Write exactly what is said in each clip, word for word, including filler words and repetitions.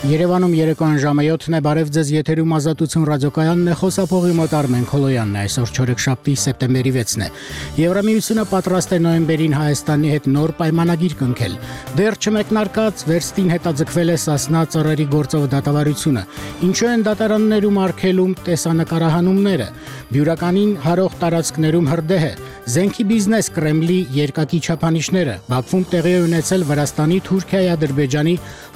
Երևանում երեկոյան ժամը յոթն է, բարև ձեզ, եթերում Ազատություն ռադիոկայանն է, խոսափողի մոտ Արմեն Քոլոյանն է, այսօր չորեքշաբթի սեպտեմբերի վեցն է։ Եվրամիությունը պատրաստ է նոյեմբերին Հայաստանի հետ նոր պայմանագիր կնքել։ Դեռ չմեկնարկած վերստին հետաձգվել է Սասնա ծառերի գործով դատավարությունը։ Ինչու են դատարաններում արգելում տեսանկարահանումները։ Բյուրականին հարող տարածքներում հրդեհ է։ Զենքի բիզնես Կրեմլի երկակի չափանիշները։ Բաքվում տեղի է ունեցել Վրաստանի, Թուրքիայի, Ադրբեջանի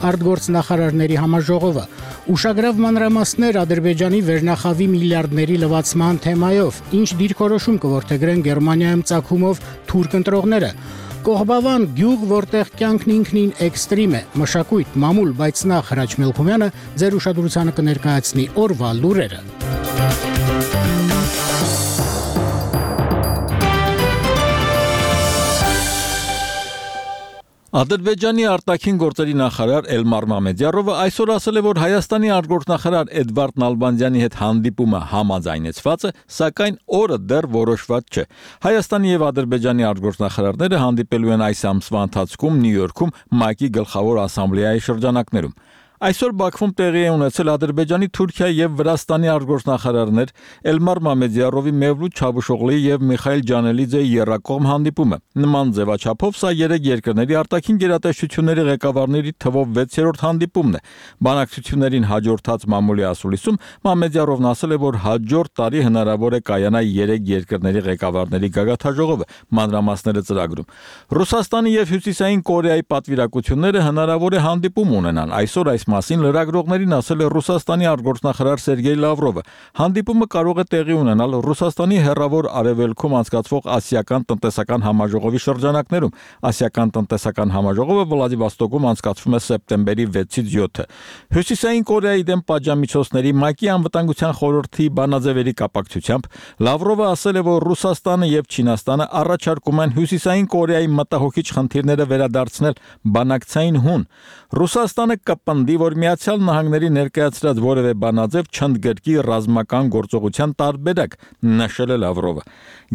արտգործնախարարների համաժողովը։ Ուշագրավ մանրամասներ Ադրբեջանի վերնախավի միլիարդների լվացման թեմայով, ինչ դիրքորոշում կորդեգրեն Գերմանիայում ծագումով թուրք ընտրողները։ Կողբավան գյուղ, որտեղ կյանքն ինքնին էքստրիմ է, մշակույթ, մամուլ, բայց նախ Հրաչ Մելքումյանը ձեր ուշադրությանը կներկայացնի օրվա լուրերը։ Ադրբեջանի արտաքին գործերի նախարար Էլմար Մամեդյարովը այսօր ասել է, որ Հայաստանի արտգործնախարար Էդվարդ Նալբանդյանի հետ հանդիպումը համաձայնեցված է, սակայն օրը դեռ որոշված չէ։ Հայաստանի եւ Ադրբեջանի արտգործնախարարները հանդիպելու են այս ամսվա ընթացքում Նյու Յորքում ՄԱԿ-ի գլխավոր ասամբլեայի շրջանակներում։ Այսօր Բաքվում տեղի է ունեցել Ադրբեջանի, Թուրքիայի եւ Վրաստանի արտգործնախարարներ Էլմար Մամեդյարովի, Մևլութ Չավուշօղլիի եւ Միխայիլ Ջանելիձեի եռակողմ հանդիպումը։ Նման ձևաչափով սա երեք երկրների արտաքին գերատեսչությունների ղեկավարների թվով վեցերորդ հանդիպումն է։ Բանակցություններին հաջորդած մամուլի ասուլիսում Մամեդյարովն ասել է, որ հաջորդ տարի հնարավոր է կայանա երեք երկրների ղեկավարների գագաթաժողովը, մանրամասները ծրագրում։ Ռուսաստանի եւ Հյուսիսային Կորեայի պատվիրակությունները հնարավոր է հանդիպում ունենան։ Այսօր այս մասին լրագրողներին ասել է Ռուսաստանի արտգործնախարար Սերգեյ Լավրովը։ Հանդիպումը կարող է տեղի ունենալ Ռուսաստանի հեռավոր արևելքում անցկացվող Ասիական տնտեսական համաժողովի շրջանակներում։ Ասիական տնտեսական համաժողովը Վլադիվոստոկում անցկացվում է սեպտեմբերի վեցից յոթը։ Հյուսիսային Կորեայի դեմ պատժամիջոցների ՄԱԿ-ի անվտանգության խորհրդի բանաձևերի կապակցությամբ Լավրովը ասել է, որ Ռուսաստանը եւ Չինաստանը առաջարկում են Հյուսիսային Կորեայի մտահոգիչ խնդիրները վերադարձնել բանակցային հուն։ Ռուսաստանը կպնդի, որ Միացյալ Նահանգների ներկայացրած որևէ բանաձև չընդգրկի ռազմական գործողության տարբերակ, նշել է Լավրովը։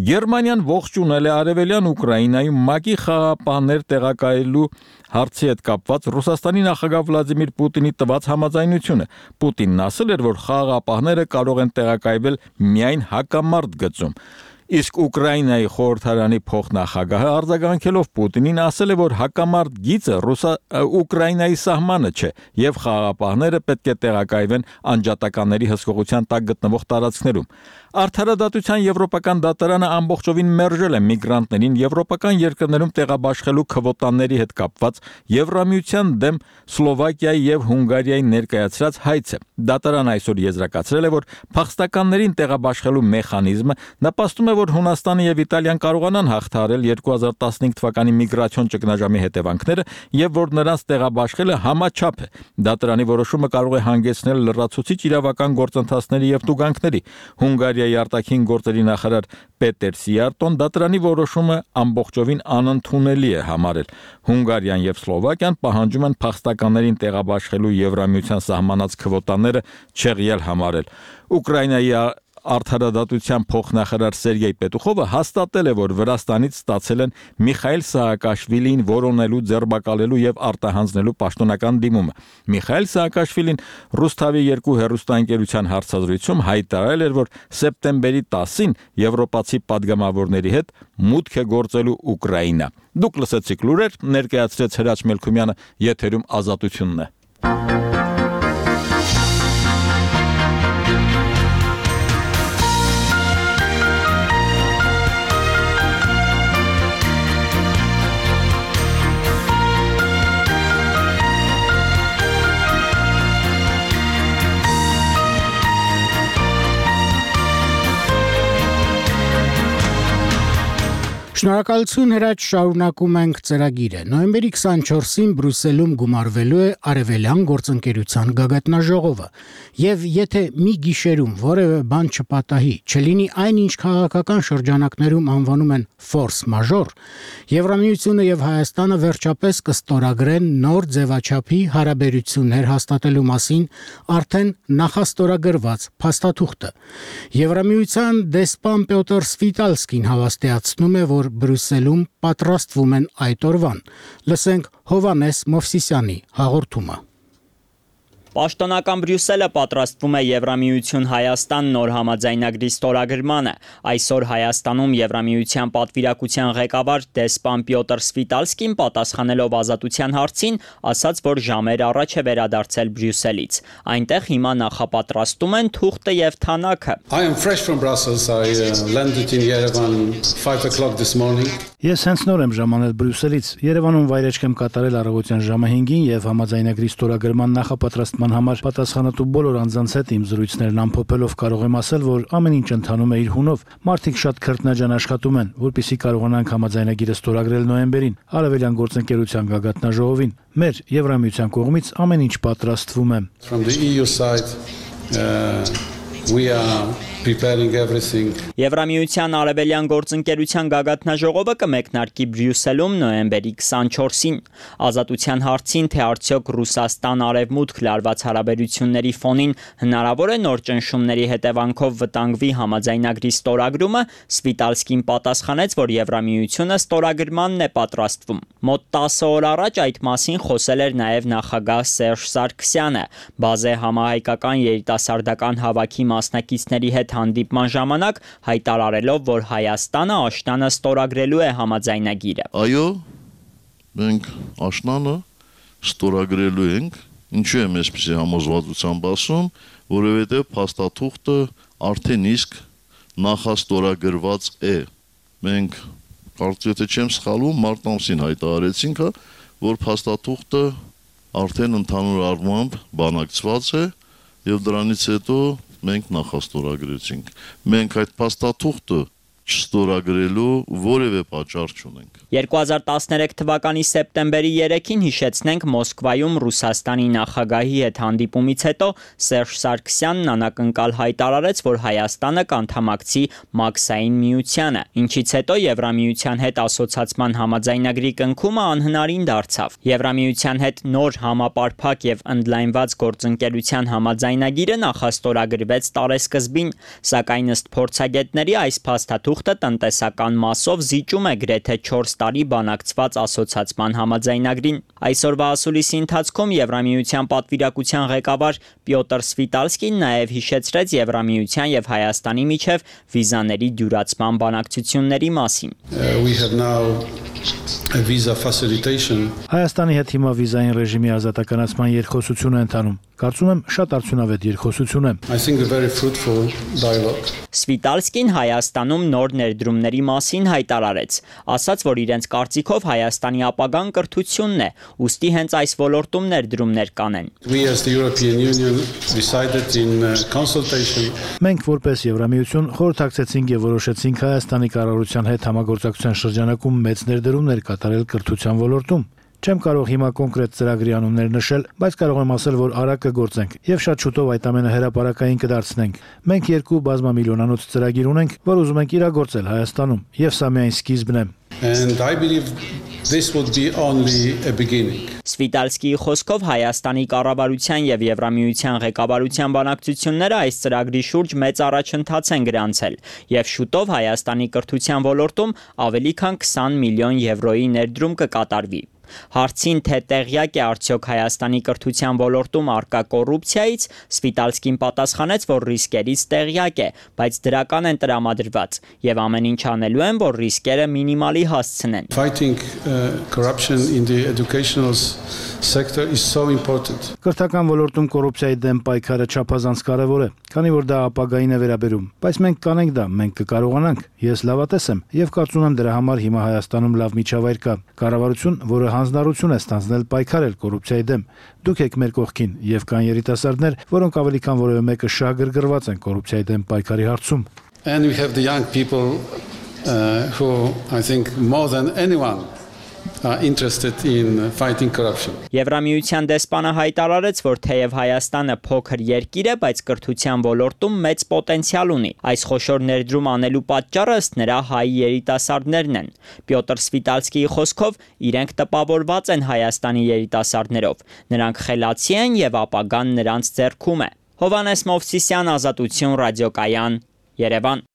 Գերմանիան ողջունել է արևելյան Ուկրաինայում ՄԱԿ-ի խաղաղապահներ տեղակայելու հարցի հետ կապված Ռուսաստանի նախագահ Վլադիմիր Պուտինի տված համաձայնությունը։ Պուտինն ասել էր, որ խաղաղապահները կարող են տեղակայվել միայն հակամարտ գծում։ Իսկ Ուկրաինայի խորհրդարանի փոխնախագահը արձագանքելով Պուտինին ասել է, որ հակամարտ գիծը Ռուսա Ուկրաինայի սահմանը չէ եւ խաղաղապահները պետք է տեղակայվեն անջատականների հսկողության տակ գտնվող տարածքներում։ Արդարադատության եվրոպական դատարանը ամբողջովին մերժել է միգրանտներին եվրոպական երկրներում տեղաբաշխելու քվոտաների հետ կապված Եվրամիության դեմ Սլովակիայի եւ Հունգարիայի ներկայացրած հայցը։ Դատարանը այսօր եզրակացրել է, որ փախստականներին տեղաբաշխելու մեխանիզմը նպաստում է, որ Հունաստանը եւ Իտալիան կարողանան հաղթահարել երկու հազար տասնհինգ թվականի միգրացիոն ճգնաժամի հետևանքները եւ որ նրանց տեղաբաշխելը համաչափ է։ Դատարանի որոշումը կարող է հանգեցնել լրացուցիչ իրավական գործընթացների եւ տուգանքների։ Հունգարիայի արտաքին գործերի նախարար Պետեր Սիարտոն դատարանի որոշումը ամբողջովին անընդունելի է համարել։ Հունգարիան եւ Սլովակիան պահանջում են փախստականներին տեղաբաշխելու Եվրամիության սահմանած քվոտաները չեղյալ համարել։ Ուկրաինայի Արդարադատության փոխնախարար Սերգեյ Պետուխովը հաստատել է, որ Վրաստանից ստացել են Միխայիլ Սահակաշվիլիին որոնելու, ձերբակալելու եւ արտահանձնելու պաշտոնական դիմումը։ Միխայիլ Սահակաշվիլին Ռուսթավի երկու հեռուստաընկերության հարցազրույցում հայտարարել էր, որ սեպտեմբերի տասին եվրոպացի падգամավորների հետ մուտք է գործելու Ուկրաինա։ Դուք լսեցիք լուրեր, ներկայացրեց Հրաչ Մելքումյանը, եթերում Ազատությունն է։ Շնորհակալություն Հրաչ, շարունակում ենք ծրագիրը։ Նոյեմբերի քսանչորսին Բրյուսելում գումարվելու է Արևելյան գործընկերության գագաթնաժողովը, եւ եթե մի գիշերում որևէ բան չպատահի, չլինի այն, ինչ քաղաքական շրջանակներում անվանում են force majeure, Եվրամիությունը եւ Հայաստանը վերջապես կստորագրեն նոր ձևաչափի հարաբերություններ հաստատելու մասին արդեն նախաստորագրված փաստաթուղթը։ Եվրամիության դեսպան Պյոտր Սվիտալսկին հավաստիացնում է, որ Բրյուսելում պատրաստվում են այդ օրվան։ Լսենք Հովհաննես Մովսիսյանի հաղորդումը։ Պաշտոնական Բրյուսելը պատրաստվում է Եվրամիություն Հայաստան նոր համաձայնագրի ստորագրմանը։ Այսօր Հայաստանում Եվրամիության պատվիրակության ղեկավար դեսպան Պյոտր Սվիտալսկին պատասխանելով ազատության հարցին, ասաց, որ ժամեր առաջ է վերադարձել Բրյուսելից։ Այնտեղ հիմա նախապատրաստում են թուղթը եւ թանաքը։ I am fresh from Brussels. I uh, landed in Yerevan five o'clock this morning. Ես հենց նոր եմ ժամանել Բրյուսելից։ Երևանում վայրեջք եմ կատարել առավոտյան ժամը հինգին եւ համաձայնագրի ստորագրման նախապատրաստման համար պատասխանատու բոլոր անձանց հետ իմ զրույցներն ամփոփելով կարող եմ ասել, որ ամեն ինչ ընթանում է իր հունով։ Մարդիկ շատ քրտնաջան աշխատում են, որպեսզի կարողանանք համաձայնագիրը ստորագրել նոյեմբերին Արևելյան գործընկերության գագաթնաժողովին։ Մեր Եվրամիության կողմից ամեն ինչ պատրաստվում է։ From the E U side, uh, we are preparing everything. Եվրամիության Արևելյան գործընկերության գագաթնաժողովը կմեկնարկի Բրյուսելում նոյեմբերի քսանչորսին։ Ազատության հարցին, թե արդյոք Ռուսաստան-Արևմուտք լարված հարաբերությունների ֆոնին հնարավոր է նոր ճնշումների հետևանքով վտանգվի համաձայնագրի ստորագրումը, Սվիտալսկին պատասխանեց, որ Եվրամիությունը ստորագրմանն է պատրաստվում։ Մոտ տասը օր առաջ այդ մասին խոսել էր նաև նախագահ Սերժ Սարգսյանը։ Բազե համահայկական երիտասարդական հավաքի մասնակիցների հետ հանդիպման ժամանակ հայտարարելով, որ Հայաստանը աշնանը ստորագրելու է համաձայնագիրը։ Այո, մենք աշնանը ստորագրելու ենք, ինչու եմ այսպիսի համոզվածությամբ ասում, որովհետև փաստաթուղթը արդեն իսկ նախաստորագրված է։ Մենք կարծես թե չեմ սխալվում, մարտ ամսին հայտարարեցինք, որ փաստաթուղթը արդեն ընդհանուր առմամբ բանակցված է եւ դրանից հետո մենք նախաստորագրեցինք։ Մենք այդ փաստաթուղթը չստորագրելու որևէ պատճառ չունենք։ երկու հազար տասներեք թվականի սեպտեմբերի երեքին հիշեցնենք Մոսկվայում Ռուսաստանի նախագահի հետ հանդիպումից հետո Սերժ Սարգսյանն անակնկալ հայտարարեց, որ Հայաստանը կանդամակցի Մաքսային միությանը, ինչից հետո Եվրամիության հետ ասոցացման համաձայնագրի կնքումը անհնարին դարձավ։ Եվրամիության հետ նոր համապարփակ եւ ընդլայնված գործընկերության համաձայնագիրը նախաստորագրվեց տարեսկզբին, սակայն ըստ փորձագետների այս փաստաթուղթը տնտեսական մասով զիջում է գրեթե չորս տարի բանակցված ասոցացման համաձայնագրին։ Այսօրվա ասուլիսի ընթացքում Եվրամիության պատվիրակության ղեկավար Պյոտր Սվիտալսկին նաև հիշեցրեց Եվրամիության եւ Հայաստանի միջև վիզաների դյուրացման բանակցությունների մասին։ We have now a visa facilitation. Հայաստանի հետ հիմա վիզային ռեժիմի ազատականացման երկխոսություն է ընթանում։ Կարծում եմ շատ արդյունավետ երկխոսություն է։ I think a very fruitful dialogue. Սվիտալսկին Հայաստանում նոր ներդրումների մասին հայտարարեց, ասաց, որ իրենց կարծիքով Հայաստանի ապագան կրթությունն է, ուստի հենց այս ոլորտում ներդրումներ կանեն։ We as the European Union decided in consultation. Մենք որպես Եվրամիություն խորհրդակցեցինք եւ որոշեցինք Հայաստանի կառավարության հետ համագործակցության շրջանակում մեծ ներդրումներ կատարել կրթության ոլորտում։ Չեմ կարող հիմա կոնկրետ ծրագրի անուններ նշել, բայց կարող եմ ասել, որ արագ կգործենք եւ շատ շուտով այդ ամենը հրապարակային կդարձնենք։ Մենք երկու բազմամիլիոնանոց ծրագիր ունենք, որ ուզում ենք իրագործել Հայաստանում, եւ սա միայն սկիզբն է։ And I believe this would be only a beginning. Սվիտալսկիի խոսքով Հայաստանի կառավարության եւ Եվրամիության ղեկավարության բանակցությունները այս ծրագրի շուրջ մեծ առաջընթաց են գրանցել եւ շուտով Հայաստանի կրթության ոլորտում ավելի քան քսան միլիոն եվրոյի ներդրում կկատարվի։ Հարցին, թե տեղյակ է արդյոք Հայաստանի կրթության ոլորտում առկա կոռուպցիայից, Սվիտալսկին պատասխանեց, որ ռիսկերից տեղյակ է, բայց դրական են տրամադրված եւ ամեն ինչ անելու են, որ ռիսկերը մինիմալի հասցնեն։ Fighting uh, corruption in the educational sector is so important. Կրթական ոլորտում կոռուպցիայի դեմ պայքարը չափազանց կարևոր է, քանի որ դա ապագային է վերաբերում, բայց մենք կանենք դա, մենք կկարողանանք։ Ես լավատես եմ եւ կարծում եմ դրա համար հիմա Հայաստանում լավ միջավայր կա։ Կառավարություն, որը հանձնարարություն է ստանձնել պայքարել կոռուպցիայի դեմ։ Դուք եք մեր կողքին եւ կան երիտասարդներ, որոնք ավելի քան որևէ մեկը շահգրգռված են կոռուպցիայի դեմ պայքարի հարցում։ And we have the young people uh, who I think more than anyone are interested in fighting corruption. Եվրամիության դեսպանը հայտարարեց, որ թեև Հայաստանը փոքր երկիր է, բայց կրթության ոլորտում մեծ պոտենցիալ ունի։ Այս խոշոր ներդրում անելու պատճառը ըստ նրա հայ երիտասարդներն են։ Պյոտր Սվիտալսկիի խոսքով իրենք տպավորված են Հայաստանի երիտասարդներով։ Նրանք խելացի են եւ ապագան նրանց ձեռքում է։ Հովանես Մովսիսյան, Ազատություն, ռադիոկայան, Երևան։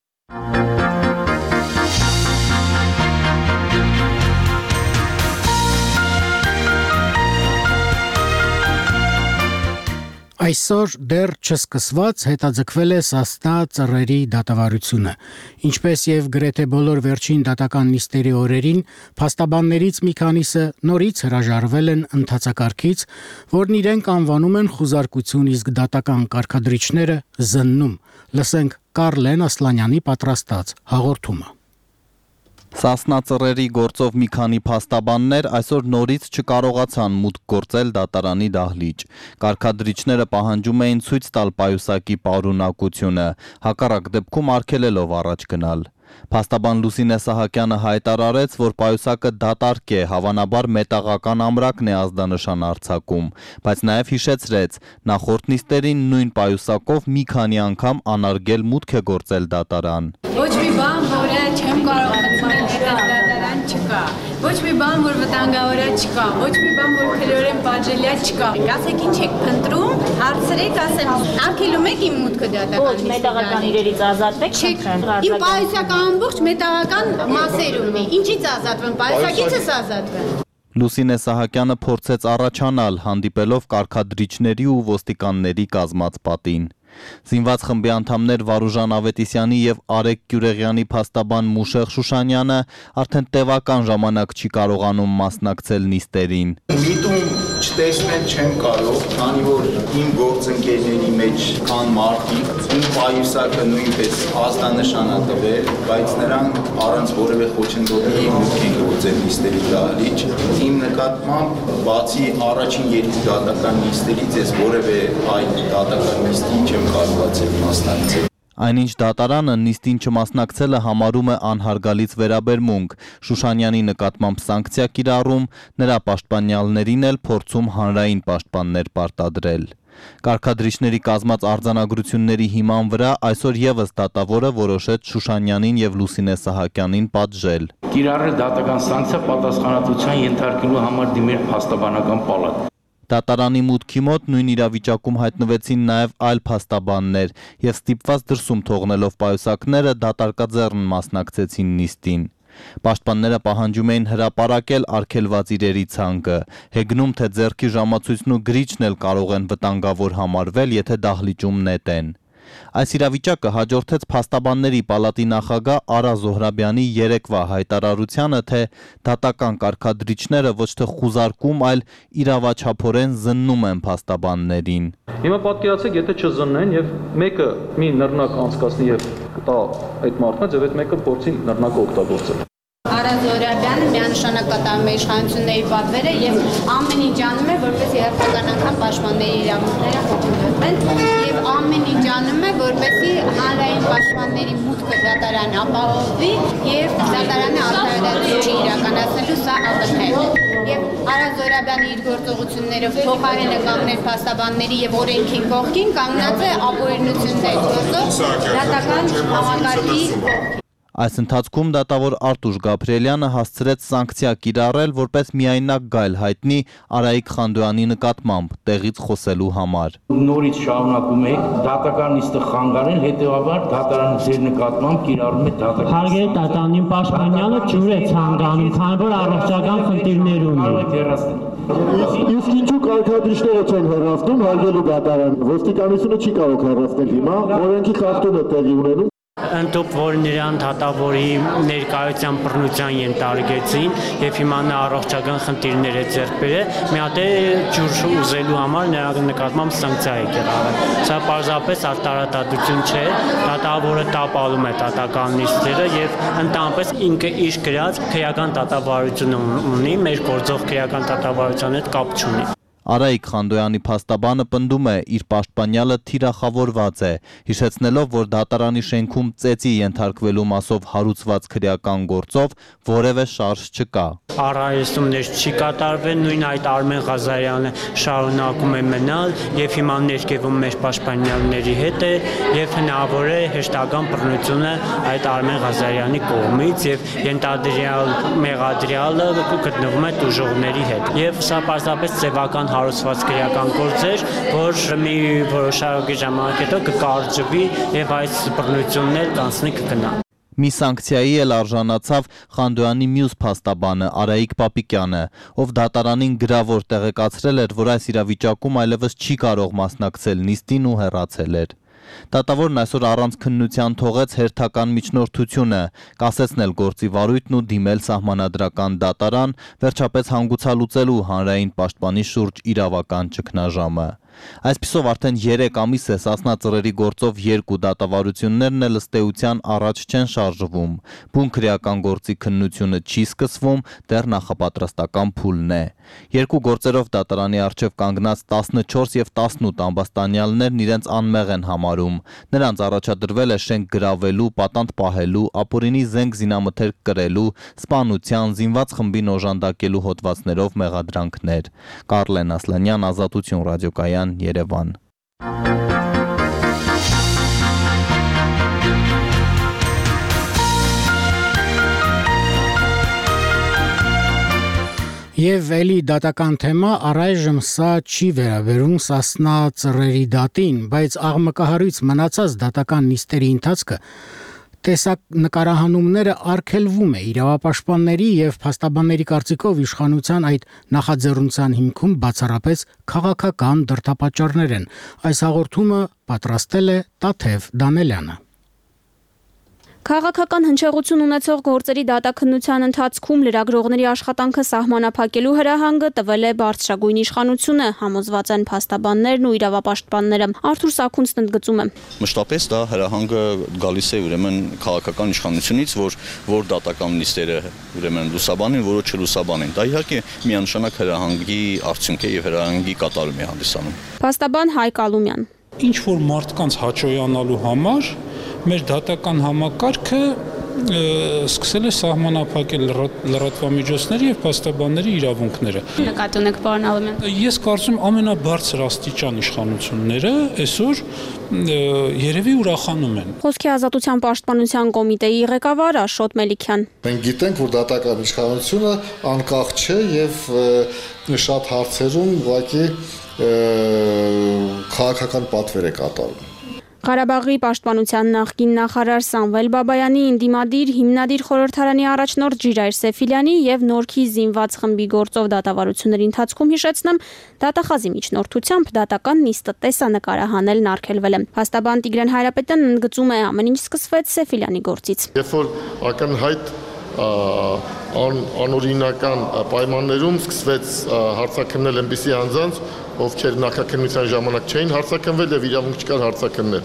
Այսօր դեռ չսկսված հետաձգվել է Սասնա ծռերի դատավարությունը, ինչպես եւ գրեթե բոլոր վերջին դատական նիստերի օրերին, փաստաբաններից մի քանիսը նորից հրաժարվել են ընթացակարգից, որն իրենք անվանում են խուզարկություն, իսկ դատական կարգադրիչները զննում։ Լսենք Կարլեն Ասլանյանի պատրաստած հաղորդումը։ Սասնա ծռերի գործով մի քանի փաստաբաններ այսօր նորից չկարողացան մուտք գործել դատարանի դահլիճ։ Կարգադրիչները պահանջում էին ցույց տալ պայուսակի պարունակությունը, հակառակ դեպքում արգելելով առաջ գնալ։ Փաստաբան Լուսինե Սահակյանը հայտարարեց, որ պայուսակը դատարկ է, հավանաբար մետաղական ամրակն է ազդանշան արձակում, բայց նաև հիշեցրեց, նախորդ նիստերին նույն պայուսակով մի քանի անգամ անարգել մուտք է գործել դատարան։ Ոչ մի բան, որը չեմ կարող մտցնել դատարան չկա։ Ոչ մի բան, որ վտանգավոր է չկա, ոչ մի բան, որ քրեորեն պատժելիա չկա։ Ասեք ինչ եք փնտրում, հարցրեք, ասեմ, արգելում եք իմ մուտքը դատարանի։ Ոչ, մետաղական իրերից ազատվեք, չեք։ Իմ պայուսակը ամբողջ մետաղական մասերում է։ Ինչից ազատվեմ, պայուսակից ես ազատվեմ։ Լուսինե Սահակյանը փորձեց առաջանալ, հանդիպելով կարգադրիչների ու ոստիկանների կազմած պատին։ Զինված խմբի անդամներ Վարուժան Ավետիսյանի եւ Արեգ Գյուրեղյանի փաստաբան Մուշեղ Շուշանյանը արդեն տևական ժամանակ չի կարողանում մասնակցել նիստերին։ Միտում չտեսնել չեմ կարող, քանի որ իմ գործընկերների մեջ կան մարդիկ, իմ պայուսակը նույնպես ազդանշան է տվել, բայց նրանք առանց որևէ խոչընդոտի մուտք են գործել նիստերի դահլիճ։ Իմ նկատմամբ բացի առաջին երկու դատական նիստերից ես որևէ այլ դատական նիստի չեմ կարողացել մասնակցել։ Այնինչ դատարանը նիստին չմասնակցելը համարում է անհարգալից վերաբերմունք, Շուշանյանի նկատմամբ սանկցիա կիրառում, նրա պաշտպանյալներին էլ փորձում հանրային պաշտպաններ պարտադրել։ Կարգադրիչների կազմած արձանագրությունների հիման վրա այսօր եւս դատավորը որոշեց Շուշանյանին եւ Լուսինե Սահակյանին պատժել։ Կիրառել դատական սանկցիա պատասխանատվության ենթարկելու համար դիմել փաստաբանական պալատ։ Դատարանի մուտքի մոտ նույն իրավիճակում հայտնվեցին նաև այլ փաստաբաններ եւ ստիպված դրսում թողնելով պայուսակները դատարկաձեռն մասնակցեցին նիստին։ Պաշտպանները պահանջում էին հրապարակել արգելված իրերի ցանկը, հեգնում թե ձեռքի ժամացույցն ու գրիչն էլ կարող են վտանգավոր համարվել, եթե դահլիճում նետեն։ Այս իրավիճակը հաջորդեց փաստաբանների պալատի նախագահ Արա Զոհրաբյանի երեկվա հայտարարությանը, թե դատական կարգադրիչները ոչ թե խուզարկում, այլ իրավաչափորեն զննում են փաստաբաններին։ Հիմա պատկերացեք, եթե չզննեն եւ մեկը մի նռնակ անցկացնի եւ կտա այդ մարդկանց եւ այդ մեկը փորձի նռնակը օգտագործել։ Արա Զոհրաբյանը միանշանակ կատարում է իշխանությունների պատվերը եւ ամեն ինչ անում է, որպես երբական անգամ պաշտպանների իրավունքները խոչընդոտվեն եւ ամեն ինչ անում է, որպեսզի հանրային պաշտպանների մուտքը դատարան ապահովվի եւ դատարանը արդարադատություն իրականացնելու սա ակնհայտ է։ Եվ Արա Զոհրաբյանը իր գործողություններով փոխարեն է կանգնել փաստաբանների եւ օրենքի կողքին, կանգնած է ապօրինությունների գործով դատական համակարգի կողքին։ Այս ընթացքում դատավոր Արտուշ Գաբրիելյանը հասցրեց սանկցիա կիրառել, որպես միայնակ գայլ հայտնի Արայիկ Խանդոյանի նկատմամբ տեղից խոսելու համար։ Նորից շարունակում եք դատական նիստը խանգարել, հետեւաբար դատարանը ձեր նկատմամբ կիրառում է դատական։ Հարգելի դատարանի պաշտպանյալը ջուր է ցանկանում, քանի որ առողջական խնդիրներ ունի։ Իսկ ինչու կարգադրիչները չեն հեռացնում հարգելու դատարան։ Ոստիկանությունը չի կարող հեռացնել հիմա, օրենքի խախտում է տեղի ունենում։ Ընդդուք, որ նրան դատավորի ներկայության բռնության ենթարկեցին եւ հիմա նա առողջական խնդիրներ է ձեռք բերել, մի հատ է ջուր ուզելու համար նրա նկատմամբ սանկցիա է կիրառել։ Սա պարզապես արտարադատություն չէ, դատավորը տապալում է դատական նիստերը եւ ընդհանրապես ինքը իր գրած քրեական դատավարություն ունի, մեր գործող քրեական դատավարության հետ կապ չունի։ Արայիկ Խանդոյանի փաստաբանը պնդում է, իր պաշտպանյալը թիրախավորված է, հիշեցնելով, որ դատարանի շենքում ծեծի ենթարկվելու մասով հարուցված քրեական գործով որևէ շարժ չկա։ Առայժմ չի կատարվել, նույն այդ Արմեն Ղազարյանը շարունակում է մնալ եւ հիմա ներկայվում մեր պաշտպանյալների հետ է եւ հնարավոր է հեշտական բռնությունը այդ Արմեն Ղազարյանի կողմից եւ ենթադրյալ մեղադրյալը գտնվում է տուժողների հետ եւ սա պարզապես ձևական հարուցված քրեական գործ էր, որ մի որոշակի ժամանակ հետո կկարճվի եւ այս բռնությունն էլ կանցնի կգնա։ Մի սանկցիայի էլ արժանացավ Խանդոյանի մյուս փաստաբանը Արայիկ Պապիկյանը, ով դատարանին գրավոր տեղեկացրել էր, որ այս իրավիճակում այլևս չի կարող մասնակցել նիստին ու հեռացել էր։ Դատավորն այսօր առանց քննության թողեց հերթական միջնորդությունը, կասեցնել գործի վարույթն ու դիմել սահմանադրական դատարան, վերջապես հանգուցալուծելու հանրային պաշտպանի շուրջ իրավական ճգնաժամը։ Այսպիսով արդեն երեք ամիս է Սասնա ծռերի գործով երկու դատավարություններն էլ ըստ էության առաջ չեն շարժվում։ Բուն քրեական գործի քննությունը չի սկսվում, դեռ նախապատրաստական փուլն է։ Երկու գործերով դատարանի առջև կանգնած տասնչորս եւ տասնութ ամբաստանյալներն իրենց անմեղ են համարում։ Նրանց առաջադրվել է շենք գրավելու, պատանդ պահելու, ապօրինի զենք զինամթերք կրելու, սպանության, զինված խմբին օժանդակելու հոդվածներով մեղադրանքներ։ Կարլեն Ասլանյան, Ազատություն ռադիոկայան, Երևան։ Եվ էլի դատական թեմա, առայժմ սա չի վերաբերում Սասնա ծռերի դատին, բայց աղմկահարույց մնացած դատական նիստերի ընթացքը տեսակ նկարահանումները արգելվում է իրավապաշտպանների եւ փաստաբանների կարծիքով իշխանության այդ նախաձեռնության հիմքում բացառապես քաղաքական դրդապատճառներ են։ Այս հաղորդումը պատրաստել է Տաթև Դանելյանը։ Քաղաքական հնչեղություն ունեցող գործերի դատաքննության ընթացքում լրագրողների աշխատանքը սահմանափակելու հրահանգը տվել է բարձրագույն իշխանությունը, համոզված են փաստաբաններն ու իրավապաշտպանները։ Արթուր Սաքունցն ընդգծում է. Մշտապես դա հրահանգը գալիս է ուրեմն քաղաքական իշխանությունից, որ որ դատական նիստերը ուրեմն լուսաբանեն, որը չլուսաբանեն։ Դա իհարկե միանշանակ հրահանգի արդյունք է եւ հրահանգի կատարում է հանդիսանում։ Փաստաբան Հայկ Ալումյան. Ինչ որ մարդկանց հաճոյանալու համար մեր դատական համակարգը սկսել է սահմանափակել լրատվամիջոցների եւ փաստաբանների իրավունքները։ Նկատի ունեք, պարոն Ալումյան։ Ես կարծում եմ ամենաբարձր աստիճան իշխանությունները այսօր երևի ուրախանում են։ Խոսքի ազատության պաշտպանության կոմիտեի ղեկավար Աշոտ Մելիքյան. Մենք գիտենք, որ դատական իշխանությունը անկախ չէ եւ շատ հարցերում ուղղակի քաղաքական պատվեր է կատարում։ Ղարաբաղի պաշտպանության նախկին նախարար Սամվել Բաբայանի ինդիմադիր հիմնադիր խորհրդարանի առաջնորդ Ժիրայր Սեֆիլյանի եւ Նորքի զինված խմբի գործով դատավարությունների ընթացքում հիշեցնեմ, դատախազի միջնորդությամբ դատական նիստը տեսանկարահանելն արգելվել է։ Փաստաբան Տիգրան Հայրապետյանն ընդգծում է, ամեն ինչ սկսվեց Սեֆիլյանի գործից։ Երբ որ ակնհայտ անօրինական պայմաններում սկսվեց հարցաքննել այնպիսի անձանց, ովքեր նախաքննության ժամանակ չէին հարցաքննել եւ իրավունք չկար հարցաքննել։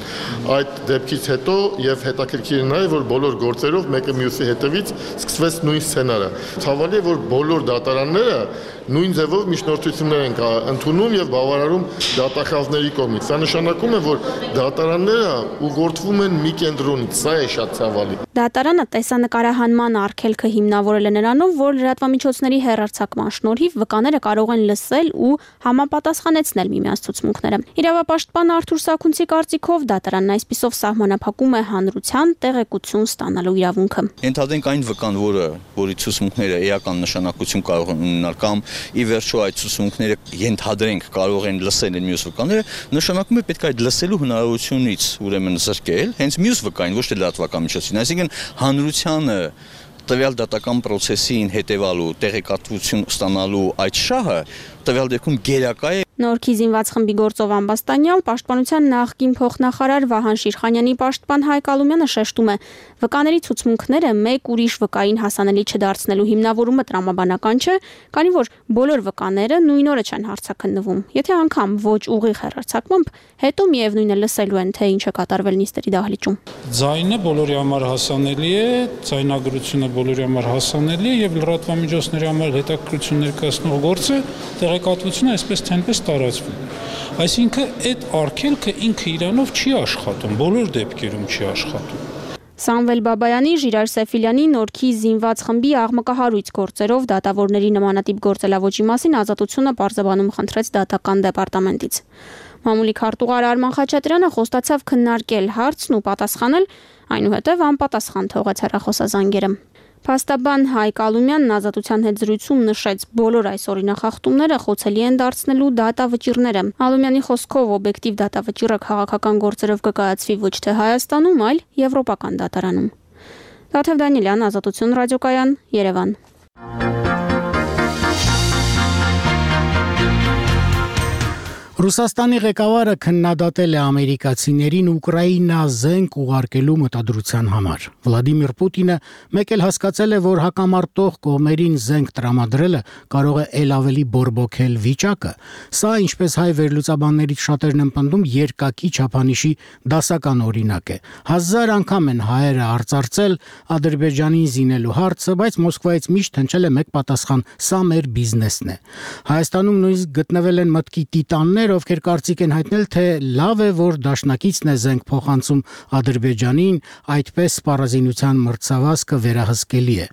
Այդ դեպքից հետո եւ հետաքրքիր է նաեւ, որ բոլոր գործերով մեկը մյուսի հետևից սկսվեց նույն սցենարը։ Ցավալի է, որ բոլոր դատարանները նույն ձևով միջնորդություններ են ընդունում եւ բավարարում դատախազների կողմից։ Սա նշանակում է, որ դատարանները ուղղորդվում են մի կենտրոնից։ Սա է շատ ցավալի։ Դատարանը տեսանկարահանման արգելքը հիմնավորել է նրանով, որ լրատվամիջոցների հեռարձակման շնորհիվ վկաները կարող են լսել ու համապատասխանեցնել միմյանց ցուցմունքները։ Իրավապաշտպան Արթուր Սաքունցի կարծիքով դատարանն այսպիսով սահմանափակում է հանրության տեղեկություն ստանալու իրավունքը։ Ենթադրենք այն վկան, որը որի ցուցմունքները էական նշանակություն կարող են ունենալ կամ ի վերջո այդ ցուցմունքները ենթադրենք կարող են լսել են մյուս վկաները, նշանակում է պետք է այդ լսելու հնարավորությունից ուրեմն զրկել հենց մյուս վկային, ոչ թե լրատվական միջոցին, այսինքն հանրությանը տվյալ դատական process-ին հետևալու, տեղեկատվություն ստանալու այդ շահը տվյալ դեպքում գերակա է։ Նորքի զինված խմբի գործով ամբաստանյալ պաշտպանության նախկին փոխնախարար Վահան Շիրխանյանի պաշտպան Հայկ Ալումյանը շեշտում է, վկաների ցուցմունքները մեկ ուրիշ վկային հասանելի չդարձնելու հիմնավորումը տրամաբանական չէ, քանի որ բոլոր վկաները նույն օրը չեն հարցաքննվում։ Եթե անգամ ոչ ուղիղ հեռարձակմամբ, հետո միևնույնը լսելու են, թե ինչ է կատարվել նիստերի դահլիճում։ Ձայնը բոլորի համար հասանելի է, ձայնագրությունը բոլորի համար հասանելի է եւ լրատվամիջոցների համար հետաքրքրություն ներկայացնող գործը տեղեկատվությունը այսպես թե այնպես տարածվում։ Այսինքն այդ արգելքը ինքը իրանով չի աշխատում, բոլոր դեպքերում չի աշխատում։ Սամվել Բաբայանի, Ժիրայր Սեֆիլյանի, Նորքի զինված խմբի աղմկահարույց գործերով դատավորների նմանատիպ գործելավոճի մասին Ազատությունը պարզաբանում խնդրեց դատական դեպարտամենտից։ Մամուլի քարտուղար Արման Խաչատրյանը խոստացավ քննարկել հարցն ու պատասխանել, այնուհետև անպատասխան թողեց հեռախոսազանգերը։ Փաստաբան Հայկ Ալումյանն Ազատության հետ զրույցում նշեց, բոլոր այս օրինախախտումները խոցելի են դարձնելու դատավճիռները։ Ալումյանի խոսքով օբյեկտիվ դատավճիռը քաղաքական գործերով կկայացվի ոչ թե Հայաստանում, այլ եվրոպական դատարանում։ Լաթև Դանիելյան, Ազատություն ռադիոկայան, Երևան։ Ռուսաստանի ղեկավարը քննադատել է ամերիկացիներին Ուկրաինա զենք ուղարկելու մտադրության համար։ Վլադիմիր Պուտինը մեկ էլ հասկացել է, որ հակամարտող կողմերին զենք տրամադրելը կարող է ել ավելի բորբոքել վիճակը։ Սա, ինչպես հայ վերլուծաբաններից շատերն են պնդում, երկակի չափանիշի դասական օրինակ է։ Հազար անգամ են հայերը արծարծել Ադրբեջանին զինելու հարցը, բայց Մոսկվայից միշտ հնչել է մեկ պատասխան՝ սա մեր բիզնեսն է։ Հայաստանում նույնիսկ գտնվել են մտքի տիտաններ, ովքեր կարծիք են հայտնել, թե լավ է, որ դաշնակիցն է զենք փոխանցում Ադրբեջանին, այդպես սպառազինության մրցավազքը վերահսկելի է։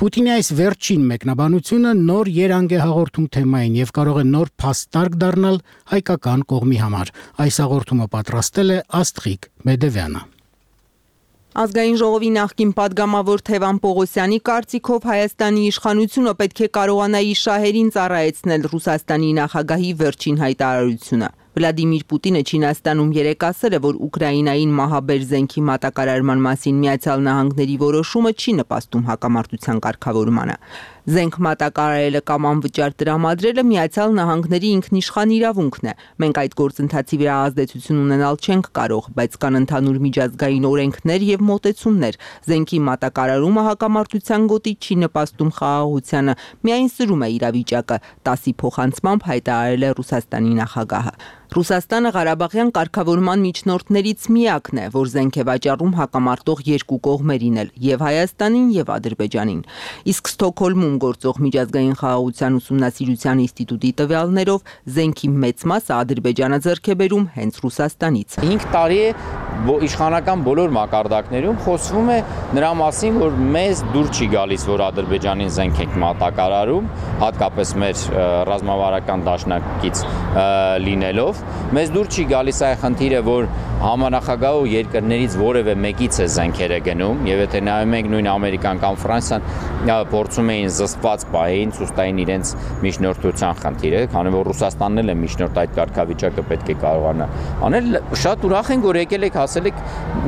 Պուտինի այս վերջին մեկնաբանությունը նոր երանգ է հաղորդում թեմային եւ կարող է նոր փաստարկ դառնալ հայկական կողմի համար։ Այս հաղորդումը պատրաստել է Աստղիկ Մեդևյանը։ Ազգային ժողովի նախկին падգամավոր Թևան Պողոսյանի կարծիքով Հայաստանի իշխանությունը պետք է կարողանա իր շահերին ծառայեցնել Ռուսաստանի նախագահի վերջին հայտարարությունը։ Վլադիմիր Պուտինը Չինաստանում երեկ ասել է, որ Ուկրաինային մահաբեր զենքի մատակարարման մասին Միացյալ Նահանգների որոշումը չի նպաստում հակամարտության կարգավորմանը։ Զենք մատակարարելը կամ անվճար տրամադրելը Միացյալ Նահանգների ինքնիշխան իրավունքն է։ Մենք այդ գործընթացի վրա ազդեցություն ունենալ չենք կարող, բայց կան ընդհանուր միջազգային օրենքներ եւ մոտեցումներ։ Զենքի մատակարարումը հակամարտության գոտի չի նպաստում խաղաղությանը, միայն սրում է իրավիճակը, տասի փոխանցմամբ հայտարարել է Ռուսաստանի նախագահը։ Ռուսաստանը Ղարաբաղյան կարգավորման միջնորդներից միակն է, որ զենք է վաճառում հակամարտող երկու կողմերին էլ՝ եւ Հայաստանին եւ Ադրբեջանին։ Իսկ Ստոկհոլմում գործող միջազգային խաղաղության ուսումնասիրության ինստիտուտի տվյալներով զենքի մեծ մասը Ադրբեջանը ձեռք է բերում հենց Ռուսաստանից։ հինգ տարի է իշխանական բոլոր մակարդակներում խոսվում է նրա մասին, որ մեզ դուր չի գալիս, որ Ադրբեջանին զենք ենք մատակարարում, հատկապես մեր ռազմավարական դաշնակից լինելով։ Մեզ դուր չի գալիս այ խնդիրը, որ համանախագահ ու երկրներից որևէ մեկից է զենքերը գնում, եւ եթե նայում ենք նույն Ամերիկան կամ Ֆրանսիան փորձում էին զսպված պահեին ցույցային իրենց միջնորդության խնդիրը, քանի որ Ռուսաստանն էլ է միջնորդ, այդ կարգավիճակը պետք է կարողանա անել։ Շատ ուրախ ենք, որ եկել եք ասել եք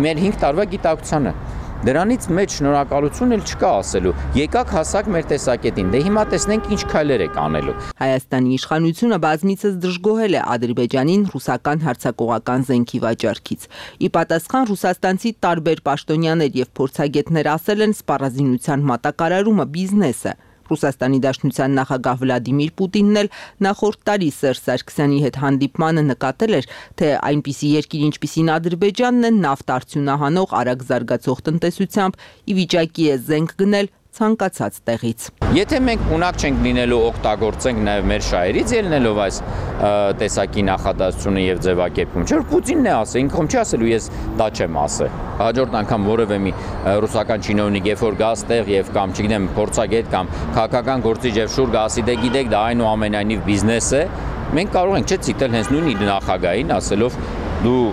մեր հինգ տարվա գիտակցությանը։ Դրանից մեջ շնորհակալություն էլ չկա ասելու։ Եկաք հասակ մեր տեսակետին, դե հիմա տեսնենք ինչ քայլեր եք անելու։ Հայաստանի իշխանությունը բազմիցս դժգոհել է Ադրբեջանին ռուսական հարձակողական զենքի վաճառքից։ Ի պատասխան ռուսաստանցի տարբեր պաշտոնյաներ եւ փորձագետներ ասել են, սպառազինության մատակարարումը բիզնես է։ Ռուսաստանի Դաշնության նախագահ Վլադիմիր Պուտինն էլ նախորդ տարի Սերժ Սարգսյանի հետ հանդիպմանը նկատել էր, թե այնպիսի երկիր, ինչպիսին Ադրբեջանն է, նավթ արդյունահանող արագ զարգացող տնտեսությամբ ի վիճակի է զենք գնել ցանկացած տեղից։ Եթե մենք ունակ չենք լինելու օգտագործենք նաև մեր շահերից ելնելով այս տեսակի նախադասությունը եւ ձևակերպումը, չէ՞ որ Պուտինն է ասել, ինքն չի ասելու ես դա չեմ ասել։ Հաջորդ անգամ որևէ մի ռուսական չինովնիկ երբ որ գա ստեղ եւ կամ չգիտեմ փորձագետ կամ քաղաքական գործիչ եւ շուր գա ասի դե գիտեք դա այնուամենայնիվ բիզնես է, մենք կարող ենք չէ՞ ցիտել հենց նույն նախագահին ասելով դու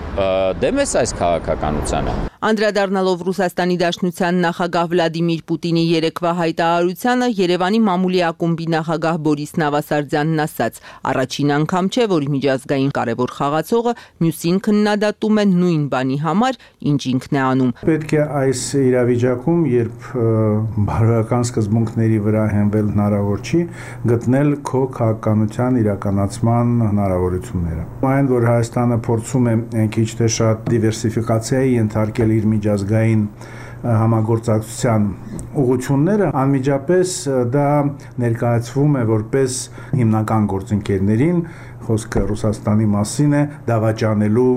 դեմ ես այս քաղաքականությանը։ Անդրադառնալով Ռուսաստանի Դաշնության նախագահ Վլադիմիր Պուտինի երեկվա հայտարարությանը, Երևանի մամուլի ակումբի նախագահ Բորիս Նավասարդյանն ասաց. առաջին անգամ չէ, որ միջազգային կարևոր խաղացողը մյուսին քննադատում է նույն բանի համար, ինչ ինքն է անում։ Պետք է այս իրավիճակում, երբ բարոյական սկզբունքների վրա հենվել հնարավոր չի, գտնել քո քաղաքականության իրականացման հնարավորությունները։ Այն, որ Հայաստանը փորձում է քիչ թե շատ դիվերսիֆիկացիայի ենթարկել իր միջազգային համագործակցության ուղղությունները, անմիջապես դա ներկայացվում է որպես հիմնական գործընկերներին, խոսքը Ռուսաստանի մասին է, դավաճանելու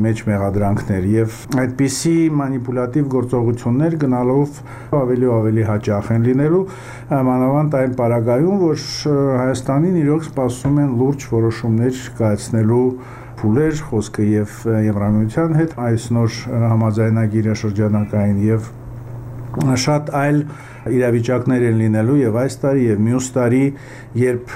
մեջ մեղադրանքներ եւ այդպիսի մանիպուլատիվ գործողություններ գնալով ավելի ու ավելի հաճախ են լինելու, մանավանդ այն պարագայում, որ Հայաստանին իրոք սպասում են լուրջ որոշումներ կայացնելու փուլեր, խոսքը եւ Եվրամիության հետ այս նոր համաձայնագիրը շրջանակային եւ շատ այլ իրավիճակներ են լինելու եւ այս տարի եւ մյուս տարի, երբ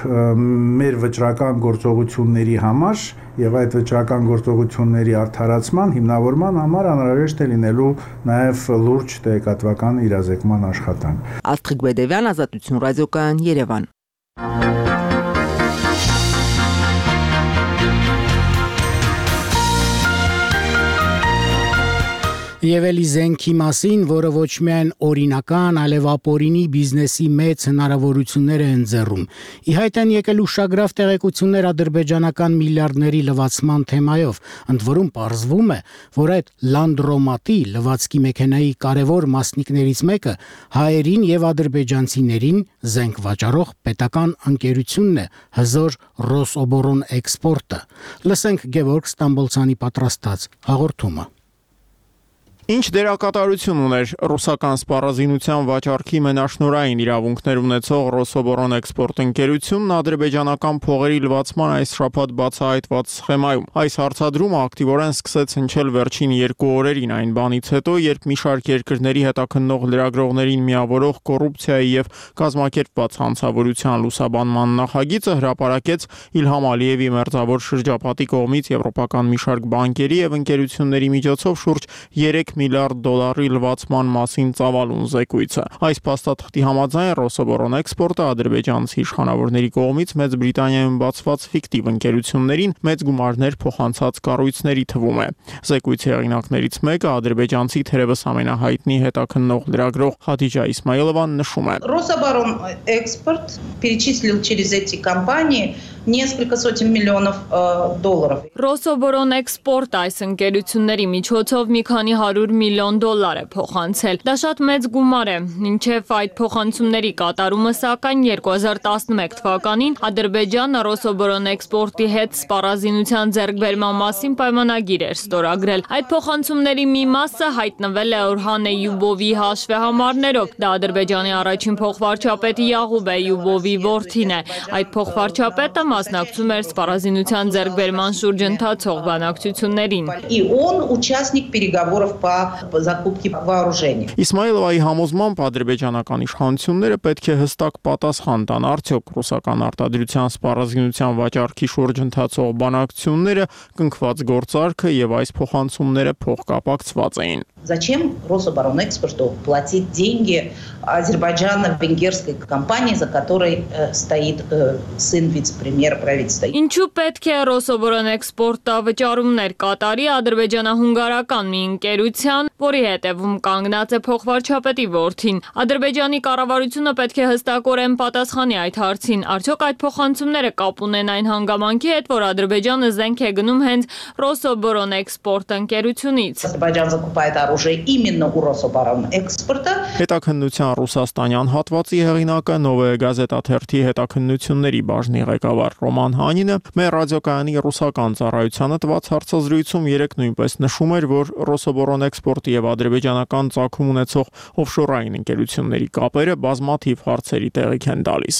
մեր վճռական գործողությունների համար եւ այդ վճռական գործողությունների արդարացման հիմնավորման համար անհրաժեշտ է լինելու նաեւ լուրջ տեղեկատվական իրազեկման աշխատանք։ Աստղիկ Բեդևյան, Ազատություն ռադիոկայան, Երևան։ Եվ էլի զենքի մասին, որը ոչ միայն օրինական, այլև ապօրինի բիզնեսի մեծ հնարավորություններ է ընձեռում։ Ի հայտ են եկել ուշագրավ տեղեկություններ ադրբեջանական միլիարդների լվացման թեմայով, ընդ որում պարզվում է, որ այդ լանդրոմատի լվացքի մեքենայի կարևոր մասնիկներից մեկը հայերին եւ ադրբեջանցիներին զենք վաճառող պետական ընկերությունն է, հզոր Ռոսոբորոն էքսպորտը։ Լսենք Գևորգ Ստամբոլցյանի պատրաստած հաղորդումը։ Ինչ դերակատարություն ուներ ռուսական սպառազինության վաճառքի մենաշնորհային իրավունքներ ունեցող Ռոսոբորոն էքսպորտ ընկերությունն ադրբեջանական փողերի լվացման այս շաբաթ բացահայտված սխեմայում։ Այս հարցադրումը ակտիվորեն սկսեց հնչել վերջին երկու օրերին այն բանից հետո, երբ մի շարք երկրների հետաքննող լրագրողներին միավորող կոռուպցիայի եւ կազմակերպված հանցավորության լուսաբանման նախագիծը հրապարակեց Իլհամ Ալիևի մերձավոր շրջապատի կողմից եվրոպական մի շարք բանկերի եւ ընկերությունների միջոցով շուրջ երեք միլիարդ դոլարի լվացման մասին ծավալուն զեկույցը։ Այս փաստաթղթի համաձայն Ռոսոբորոն էքսպորտը ադրբեջանցի իշխանավորների կողմից Մեծ Բրիտանիայում բացված ֆիկտիվ ընկերություններին մեծ գումարներ փոխանցած կառույցների թվում է։ Զեկույցի հեղինակներից մեկը ադրբեջանցի թերևս ամենահայտնի հետաքննող լրագրող Խադիջա Իսմայելովան նշում է. Ռոսոբորոն էքսպորտ перечислил через эти компании несколько сотен миллионов долларов. Ռոսոբորոն էքսպորտ այս ընկերությունների միջոցով մի քանի հարյուր միլիոն դոլար է փոխանցել։ Դա շատ մեծ գումար է, մինչև այդ փոխանցումների կատարումը սակայն երկու հազար տասնմեկ թվականին Ադրբեջանը Ռոսոբորոն էքսպորտի հետ սպառազինության ձեռքբերման մասին պայմանագիր էր ստորագրել։ Այդ փոխանցումների մի մասը հայտնվել է Օրհան Էյուբովի հաշվեհամարներով։ Դա Ադրբեջանի առաջին փոխվարչապետ Յաղուբ Էյուբովի որդին է։ Այդ փոխվարչապետը մասնակցում էր սպառազինության ձեռքբերման շուրջ ընթացող բանակցություններին։ И он участник переговоров по закупке вооружений. Իսմայելովայի համոզմամբ ադրբեջանական իշխանությունները պետք է հստակ պատասխան տան արդյոք ռուսական արտադրության սպառազինության վաճառքի շուրջ ընթացող բանակցությունները կնքված գործարքը եւ այս փոխանցումները փոխկապակցված էին։ Зачем Рособоронэкспорту платить деньги азербайджано-венгерской компании, за которой стоит сын вице-премьера правительства? Ինչու պետք է Ռոսոբորոն էքսպորտը վճարումներ կատարի ադրբեջանահունգարական մի ընկերության, որի հետևում կանգնած է փոխվարչապետի որդին։ Ադրբեջանի կառավարությունը պետք է հստակորեն պատասխանի այդ հարցին։ Արդյոք այդ փոխանցումները կապ ունեն այն հանգամանքի հետ, որ Ադրբեջանը զենք է գնում հենց Ռոսոբորոն էքսպորտ ընկերությունից։ Ադրբեջանը закупает оружие именно у Рособоронэкспорта. Հետաքննության ռուսաստանյան հատվածի հեղինակը Նովոյ Գազետա թերթի հետաքննությունների բաժնի ղեկավար Ռոման Հանինը մեր ռադիոկայանի ռուսական ծառայությանը տված հարցազրույցում երեկ նույնպես նշում էր, որ Ռոսոբորոն էքսպորտի եւ ադրբեջանական ծագում ունեցող օֆշորային ընկերությունների կապերը բազմաթիվ հարցերի տեղիք են տալիս։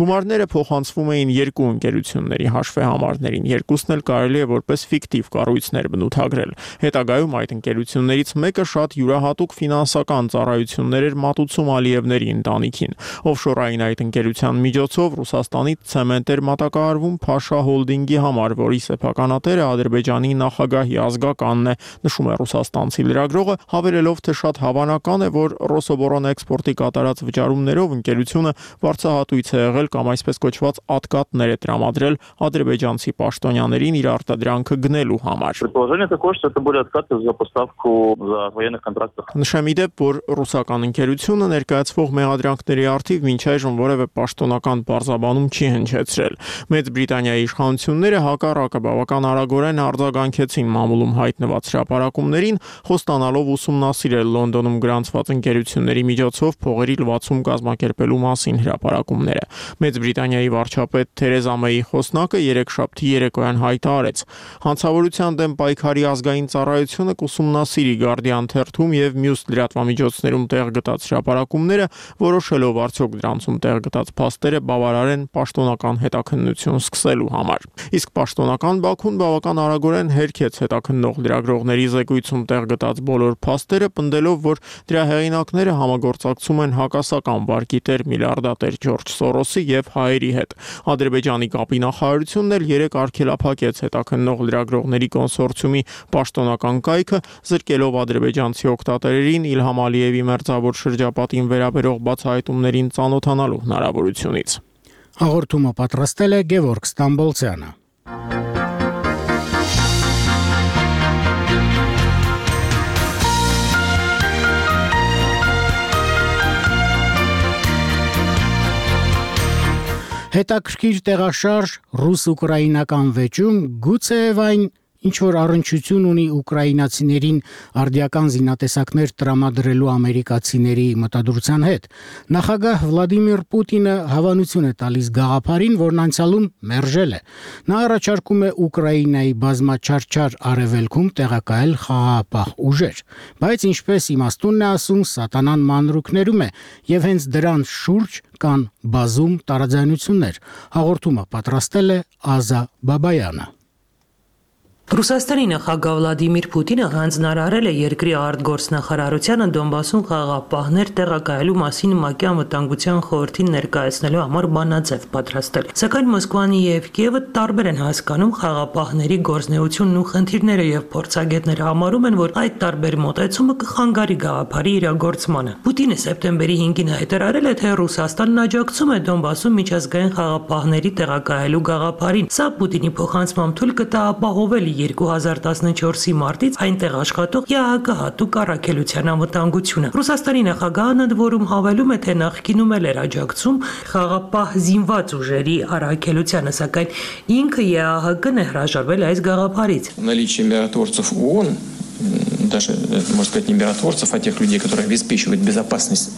Գումարները փոխանցվում էին երկու ընկերությունների հաշվեհամարներին, երկուսն էլ կարելի է որպես ֆիկտիվ կառույցներ բնութագրել։ Հետագայում այդ ընկերություններից մեկը շատ յուրահատուկ ֆինանսական ծառայություններ էր մատուցում Ալիևների ընտանիքին։ Օֆշորային այդ ընկերության միջոցով Ռուսաստանի ցեմենտ էր մատակարարվում Փաշա հոլդինգի համար, որի սեփականատերը Ադրբեջանի նախագահի ազգականն է, նշում է ռուսաստանցի լրագրողը, հավելելով, թե շատ հավանական է, որ Ռոսոբորոն էքսպորտի կատարած վճարումներով ընկերությունը վարձահատույց է եղել կամ այսպես կոչված ատկատներ է տրամադրել ադրբեջանցի պաշտոնյաներին իր արտադրանքը գնելու համար։ Նշեմ ի դեպ, որ ռուսական ընկերությունը ներկայացվող մեղադրանքների առթիվ մինչ այժմ որևէ պաշտոնական պարզաբանում չի հնչեցրել։ Մեծ Բրիտանիայի իշխանությունները հակառակը բավական արագորեն արձագանքեցին մամուլում հայտնված հրապարակումներին, խոստանալով ուսումնասիրել Լոնդոնում գրանցված ընկերությունների միջոցով փողերի լվացում կազմակերպելու մասին հրապարակումները։ Մեծ Բրիտանիայի վարչապետ Թերեզա Մեյի խոսնակը երեքշաբթի երեկոյան հայտարարեց. Հանցավորության դեմ պայքարի ազգային ծառայությունը կուսումնասիրի Guardian թերթում եւ մյուս լրատվամիջոցներում տեղ գտած հրապարակումները, որոշելով արդյոք դրանցում տեղ գտած փաստերը բավարար են պաշտոնական հետաքննություն սկսելու համար։ Իսկ պաշտոնական Բաքուն բավական արագորեն հերքեց հետաքննող լրագրողների զեկույցում տեղ գտած բոլոր փաստերը, պնդելով, որ դրա հեղինակները համագործակցում են հակասական վարկի տեր միլիարդատեր Ջորջ Սորոսի եւ հայերի հետ։ Ադրբեջանի կապի նախարարությունն էլ երեք արգելափակեց հետաքննող լրագրողների կոնսորցիումի պաշտոնական կայքը, զրկելով ադրբեջանցի օգտատերերին Իլհամ Ալիևի մերձավոր շրջապատին վերաբերող բացահայտումներին ծանոթանալու հնարավորությունից։ Հաղորդումը պատրաստել է Գևորգ Ստամբոլցյանը։ Հետաքրքիր տեղաշարժ ռուս-ուկրաինական վեճում գուցեև այն ինչ որ առնչություն ունի ուկրաինացիներին արդիական զինատեսակներ տրամադրելու ամերիկացիների մտադրության հետ։ Նախագահ Վլադիմիր Պուտինը հավանություն է տալիս գաղափարին, որն անցյալում մերժել է։ Նա առաջարկում է Ուկրաինայի բազմաչարչար արևելքում տեղակայել խաղաղապահ ուժեր, բայց ինչպես իմաստունն է ասում, սատանան մանրուքներում է, եւ հենց դրան շուրջ կան բազում տարաձայնություններ։ Հաղորդումը պատրաստել է Ազա Բաբայանը։ Ռուսաստանի նախագահ Վլադիմիր Պուտինը հանձնարարել է երկրի արտգործնախարարությանը Դոնբասում խաղաղապահներ տեղակայելու մասին ՄԱԿ-ի անվտանգության խորհրդին ներկայացնելու համար բանաձև պատրաստել։ Սակայն Մոսկվան եւ Կիևը տարբեր են հասկանում խաղաղապահների գործունեությունն ու խնդիրները եւ փորձագետները համարում են, որ այդ տարբեր մոտեցումը կխանգարի գաղափարի իրագործմանը։ Պուտինը սեպտեմբերի հինգին հայտարարել է, թե Ռուսաստանն աջակցում է Դոնբասում միջազգային խաղաղապահների տեղակայելու գաղափարին։ Սա Պուտինի փոխանցմամբ թույլ կտա ապահովել երկու հազար տասնչորսի մարտից այնտեղ աշխատող ԵԱՀԿ հատուկ առաքելության անվտանգությունը։ Ռուսաստանի նախագահն ընդ որում հավելում է, թե նախկինում էլ էր աջակցում խաղաղապահ զինված уժերի առաքելությանը, սակայն ինքը ԵԱՀԿ-ն է հրաժարվել այս գաղափարից։ Наличие миротворцев ООН, даже, можно сказать, не миротворцев, а тех людей, которые обеспечивают безопасность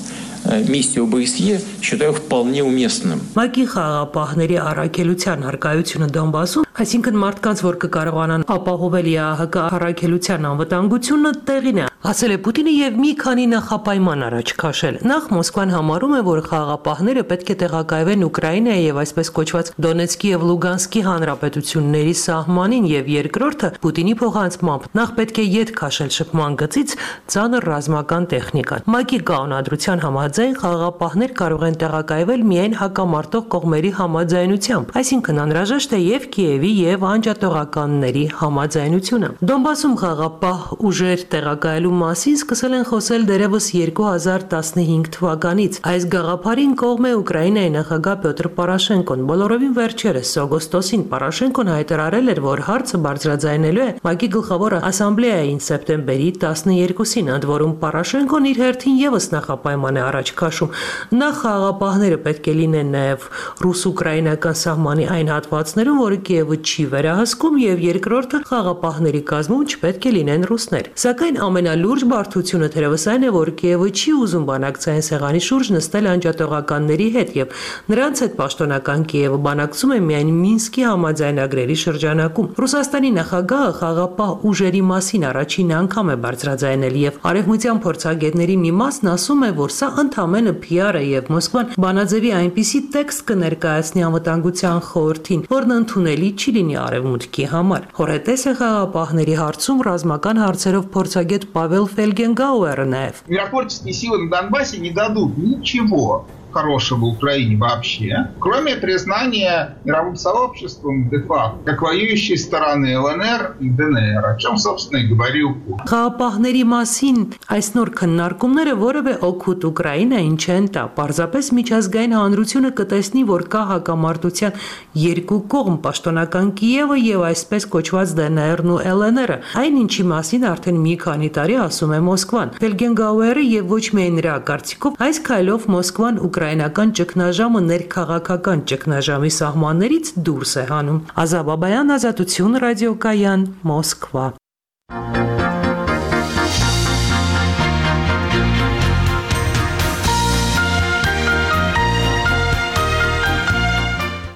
миссию ОБСЕ, считаю вполне уместным. ՄԱԿ-ի խաղաղապահների առաքելության հարկայությունը Դոնբասում, այսինքն մարդկանց, որ կկարողանան ապահովել ԵԱՀԿ առաքելության անվտանգությունը, տեղին է, ասել է Պուտինը եւ մի քանի նախապայման առաջ քաշել։ Նախ Մոսկվան համարում է, որ խաղաղապահները պետք է տեղակայվեն Ուկրաինայի եւ այսպես կոչված Դոնեցկի եւ Լուգանսկի հանրապետությունների սահմանին, եւ երկրորդը Պուտինի փոխանցմամբ նախ պետք է յետ քաշել շփման գծից ծանր ռազմական տեխնիկան։ ՄԱԿ-ի կանոնադրության համաձայն խաղաղապահներ կարող են տեղակայվել միայն հակամարտող կողմերի համաձայնությամբ, այսինքն անհրաժեշտ է եւ Կիևի եւ անջատողականների համաձայնությունը։ Դոնբասում խաղաղապահ ուժեր տեղակայելու մասին սկսել են խոսել դեռևս երկու հազար տասնհինգ թվականից։ Այս գաղափարին կողմ է Ուկրաինայի նախագահ Պյոտր Պորոշենկոն։ Բոլորովին վերջերս օգոստոսին Պորոշենկոն հայտարարել էր, որ հարցը բարձրաձայնելու է ՄԱԿ-ի գլխավոր ասամբլեային սեպտեմբերի տասներկուսին, ընդ որում Պորոշենկոն իր հերթին եւս նախապայման է առաջ քաշում։ Նախ խաղաղապահները պետք է լինեն նաեւ ռուս-ուկրաինական սահմանի այն հատվածներում, որը Կիևը չի վերահսկում, եւ երկրորդը խաղաղապահների կազմում չպետք է լինեն ռուսներ։ Սակայն ամենալուրջ բարդությունը թերևս այն է, որ Կիևը չի ուզում բանակցային սեղանի շուրջ նստել անջատողականների հետ եւ նրանց հետ պաշտոնական Կիևը բանակցում է միայն Մինսկի համաձայնագրերի շրջանակում։ Ռուսաստանի նախագահը խաղաղապահ ուժերի մասին առաջին անգամ է բարձրաձայնել եւ արևմտյան փորձագետների մի մասն ասում է, որ սա ընդամենը Փի Ար է եւ Մոսկվան բանաձևի այնպիսի տեքստ կներկայացնի անվտանգության խորհրդին, որն ընդունելի չի լինի արևմուտքի համար։ Հորետես է խաղաղապահների հարցում ռազմական հարցերով փորձագետ Павел Фельгенгауэр наев. Миротворческие силы на Донбассе не дадут ничего хорошего Украине вообще, кроме признания мировым сообществом де-факто как воюющей стороны Эл Эн Эр и Дэ Эн Эр, о чем, собственно, и говорил Путин. Խաղաղապահների մասին այս նոր քննարկումները որևէ օգուտ Ուկրաինային չեն տա, պարզապես միջազգային հանրությունը կտեսնի, որ կա հակամարտության երկու կողմ՝ պաշտոնական Կիևը եւ այսպես կոչված Դե Են Էրն ու Էլ Են Էրը, այն ինչի մասին արդեն մի քանի տարի ասում է Մոսկվան։ Ֆելգենգաուերը եւ ոչ միայն նրա կարծիքով այս քայլով Մոսկվան ուկրաինական ճգնաժամը ներքաղաքական ճգնաժամի սահմաններից դուրս է հանում։ Ազա Բաբայան, Ազատություն, ռադիոկայան, Մոսկվա։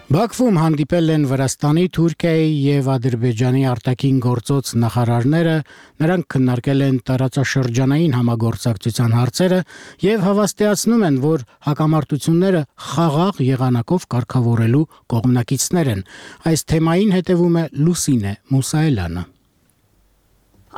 Բաքվում հանդիպել են Վրաստանի, Թուրքիայի եւ Ադրբեջանի արտաքին գործոց նախարարները, նրանք քննարկել են տարածաշրջանային համագործակցության հարցերը եւ հավաստիացնում են, որ հակամարտությունները խաղաղ եղանակով կարգավորելու կողմնակիցներ են։ Այս թեմային հետևում է Լուսինե Մուսայելյանը։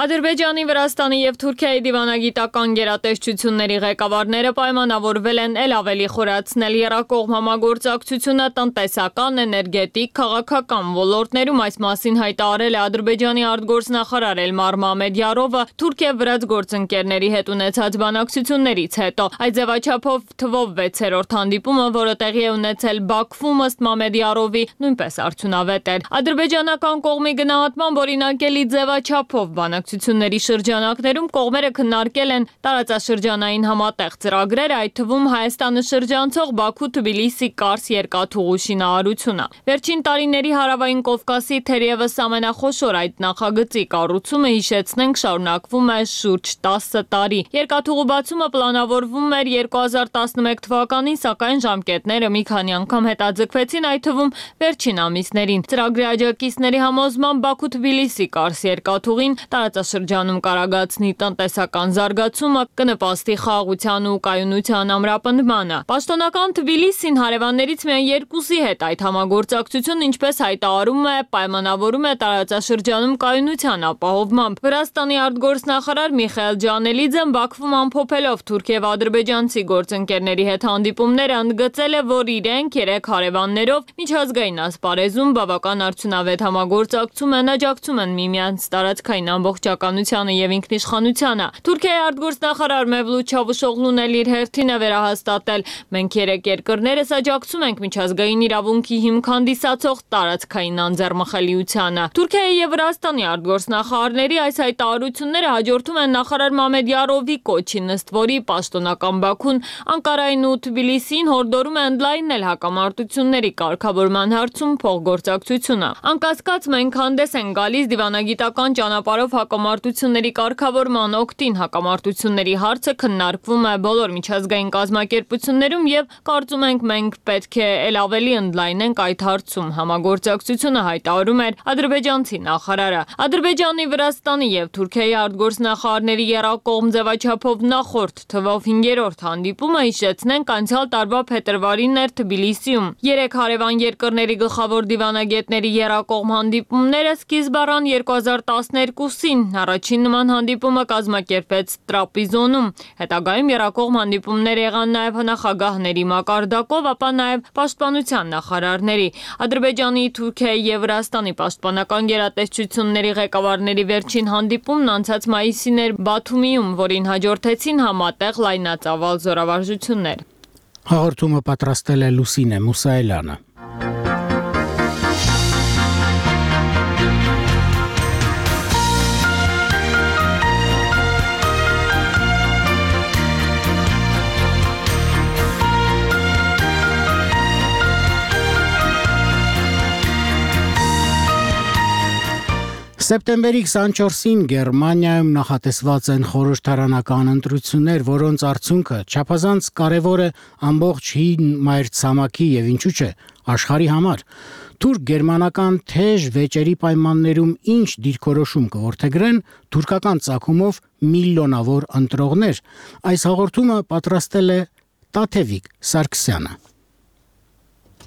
Ադրբեջանի, Վրաստանի եւ Թուրքիայի դիվանագիտական գերատեսչությունների ղեկավարները պայմանավորվել են ել ավելի խորացնել եռակողմ համագործակցությունը տնտեսական, էներգետիկ, քաղաքական ոլորտներում։ Այս մասին հայտարարել է Ադրբեջանի արտգործնախարար Էլմար Մամեդյարովը Թուրքիա-վրաց գործընկերների հետ ունեցած բանակցություններից հետո։ Այդ ձևաչափով թվով վեցերորդ հանդիպումը, որը տեղի է ունեցել Բաքվում, ըստ Մամեդյարովի, նույնպես արդյունավետ էր։ Ադրբեջանական կողմի գնահատմամբ օրինակելի ձևաչափով բանակ բանակցությունների շրջանակներում կողմերը քննարկել են տարածաշրջանային համատեղ ծրագրեր, այդ թվում Հայաստանը շրջանցող Բաքու-Թբիլիսի Կարս երկաթուղու շինարարությունը։ Վերջին տարիների Հարավային Կովկասի թերևս ամենախոշոր այդ նախագծի կառուցումը, հիշեցնենք, շարունակվում է շուրջ տասը տարի։ Երկաթուղու բացումը պլանավորվում էր երկու հազար տասնմեկ թվականին, սակայն ժամկետները մի քանի անգամ հետաձգվեցին, այդ թվում վերջին ամիսներին։ Ծրագրի աջակիցների համոզմամբ Բաքու-Թբիլիսի Կարս երկաթուղին տարածաշրջանում կարագացնի տնտեսական զարգացումը, կնպաստի խաղաղության ու կայունության ամրապնդմանը։ Պաշտոնական Թբիլիսին հարևաններից միայն երկուսի հետ այդ համագործակցությունն, ինչպես հայտարարում է, պայմանավորում է տարածաշրջանում կայունության ապահովմամբ։ Վրաստանի արտգործնախարար Միխայել Ջանելիձեն Բաքվում ամփոփելով թուրք-և-ադրբեջանցի գործընկերների հետ հանդիպումները ընդգծել է, որ իրենք երեք հարևաններով միջազգային ասպարեզում բավական արդյունավետ համագործակցում են, աջակցում են միմյանց տարածքային ամբողջականությանը և ինքնիշխանությանը։ Թուրքիայի արտգործնախարար Մևլութ Չավուշօղլուն էլ իր հերթին է վերահաստատել. մենք երեք երկրներս աջակցում ենք միջազգային իրավունքի հիմք հանդիսացող տարածքային անձեռմխելիությանը։ Թուրքիայի և Վրաստանի արտգործնախարարների այս հայտարարությունները հաջորդում են նախարար Մամեդ Յարովի կոչին, ըստ որի պաշտոնական Բաքուն Անկարային ու Թբիլիսիին հորդորում է ընդլայնել հակամարտությունների կարգավորման հարցում փոխգործակցությունը։ Անկասկած մենք հանդես են գալիս դիվանագիտական ճանապարհով հակամարտությունների կարգավորման օգտին։ Հակամարտությունների հարցը քննարկվում է բոլոր միջազգային կազմակերպություններում և կարծում ենք մենք պետք է էլ ավելի ընդլայնենք այդ հարցում համագործակցությունը, հայտարարում էր ադրբեջանցի նախարարը։ Ադրբեջանի, Վրաստանի և Թուրքիայի արտգործնախարարների եռակողմ ձևաչափով նախորդ թվով հինգերորդ հանդիպումը, հիշեցնենք, անցյալ տարվա փետրվարին էր Թբիլիսիում։ Երեք հարևան երկրների գլխավոր դիվանագետների եռակողմ հանդիպումները սկիզբ առան երկու հազար տասներկուսին։ Առաջին նման հանդիպումը կազմակերպվեց Տրապիզոնում։ Հետագայում եռակողմ հանդիպումներ եղան նաև նախագահների մակարդակով, ապա նաև պաշտպանության նախարարների։ Ադրբեջանի, Թուրքիայի և Վրաստանի պաշտպանական գերատեսչությունների ղեկավարների վերջին հանդիպումն անցած մայիսին էր Բաթումիում, որին հաջորդեցին համատեղ լայնածավալ զորավարժություններ։ Հաղորդումը պատրաստել է Լուսինե Մուսայելյանը։ Սեպտեմբերի քսանչորսին Գերմանիայում նախատեսված են խորհրդարանական ընտրություններ, որոնց արդյունքը չափազանց կարևոր է ամբողջ հին մայրցամաքի եւ ինչու՞ չէ աշխարհի համար։ Թուրք-գերմանական թեժ վեճերի պայմաններում ինչ դիրքորոշում կորդեգրեն թուրքական ծագումով միլիոնավոր ընտրողներ։ Այս հաղորդումը պատրաստել է Տաթևիկ Սարգսյանը։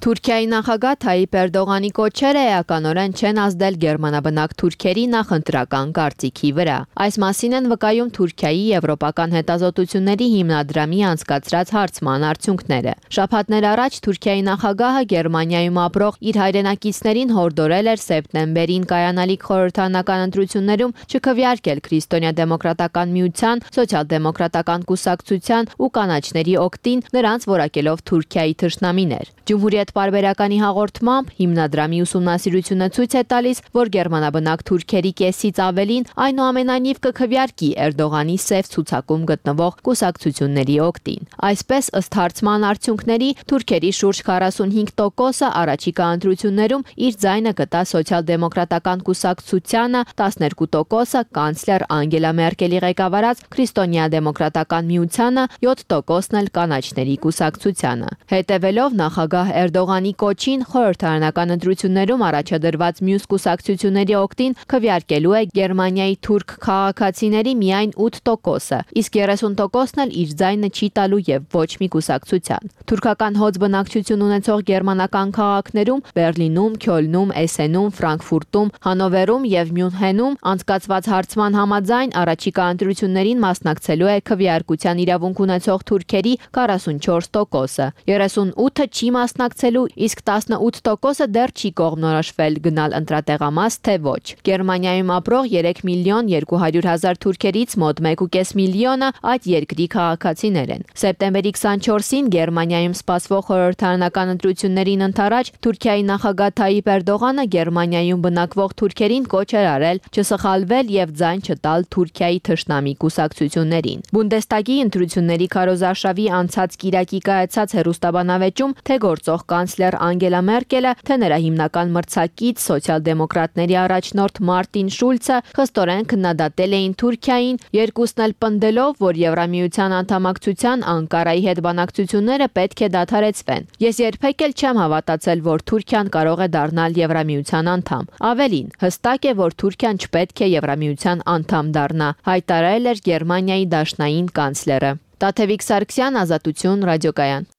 Թուրքիայի նախագահ Թայիպ Էրդողանի կոչերը էականորեն չեն ազդել գերմանաբնակ թուրքերի նախընտրական կարծիքի վրա։ Այս մասին են վկայում Թուրքիայի եվրոպական հետազոտությունների հիմնադրամի անցկացրած հարցման արդյունքները։ Շաբաթներ առաջ Թուրքիայի նախագահը Գերմանիայում ապրող իր հայրենակիցներին հորդորել էր սեպտեմբերին կայանալիք խորհրդարանական ընտրություններում չքվեարկել Քրիստոնյա-դեմոկրատական միության, սոցիալ-դեմոկրատական կուսակցության ու կանաչների օգտին, նրանց որակելով Թուրքիայի թշնամիներ։ Ջումհուրիետ պարբերականի հաղորդմամբ հիմնադրամի ուսումնասիրությունը ցույց է տալիս, որ գերմանաբնակ թուրքերի կեսից ավելին այնուամենայնիվ կքվեարկի Էրդողանի սև ցուցակում գտնվող կուսակցությունների օգտին։ Այսպես, ըստ հարցման արդյունքների, թուրքերի շուրջ քառասունհինգ տոկոսը առաջիկա ընտրություններում իր ձայնը կտա սոցիալ-դեմոկրատական կուսակցությանը, տասներկու տոկոսը կանցլեր Անգելա Մերկելի ղեկավարած Քրիստոնյա-դեմոկրատական միությանը, յոթ տոկոսն էլ կանաչների կուսակցությանը։ Հետևելով նախագահ Էրդողանի կոչին, խորհրդարանական ընտրություններում առաջադրված մյուս կուսակցությունների օգտին քվեարկելու է Գերմանիայի թուրք քաղաքացիների միայն ութ տոկոսը, իսկ երեսուն տոկոսն էլ իր ձայնը չի տալու եւ ոչ մի կուսակցության։ Թուրքական հոծ բնակչություն ունեցող գերմանական քաղաքներում Բերլինում, Քյոլնում, Էսենում, Ֆրանկֆուրտում, Հանովերում եւ Մյունհենում անցկացված հարցման համաձայն առաջիկա ընտրություններին մասնակցելու է քվեարկության իրավունք ունեցող թուրքերի քառասունչորս տոկոսը, երեսունութը չի մասնակցելու մասնակցելու, իսկ տասնութ տոկոսը դեռ չի կողմնորոշվել գնալ ընտրատեղամաս թե ոչ։ Գերմանիայում ապրող երեք միլիոն երկու հարյուր հազար թուրքերից մոտ մեկ ու կես միլիոնը այդ երկրի քաղաքացիներ են։ Սեպտեմբերի քսանչորսին Գերմանիայում սպասվող խորհրդարանական ընտրություններին ընդառաջ Թուրքիայի նախագահ Թայիպ Էրդողանը Գերմանիայում բնակվող թուրքերին կոչ էր արել չսխալվել եւ ձայն չտալ Թուրքիայի թշնամի կուսակցություններին։ Բունդեստագի ընտրությունների քարոզարշավի անցած կիրակի կայացած հերոստաբանավեճում թե գործող կանցլեր Անգելա Մերկելը, թե նրա հիմնական մրցակից սոցիալ-դեմոկրատների առաջնորդ Մարտին Շուլցը խստորեն քննադատել էին Թուրքիային, երկուսն էլ պնդելով, որ Եվրամիության անդամակցության Անկարայի հետ բանակցությունները պետք է դադարեցվեն։ Ես երբեք էլ չեմ հավատացել, որ Թուրքիան կարող է դառնալ Եվրամիության անդամ։ Ավելին, հստակ է, որ Թուրքիան չպետք է Եվրամիության անդամ դառնա, հայտարարել էր Գերմանիայի դաշնային կանցլերը։ Տաթևիկ Սարգսյան, Ազատություն, ռադիոկայան։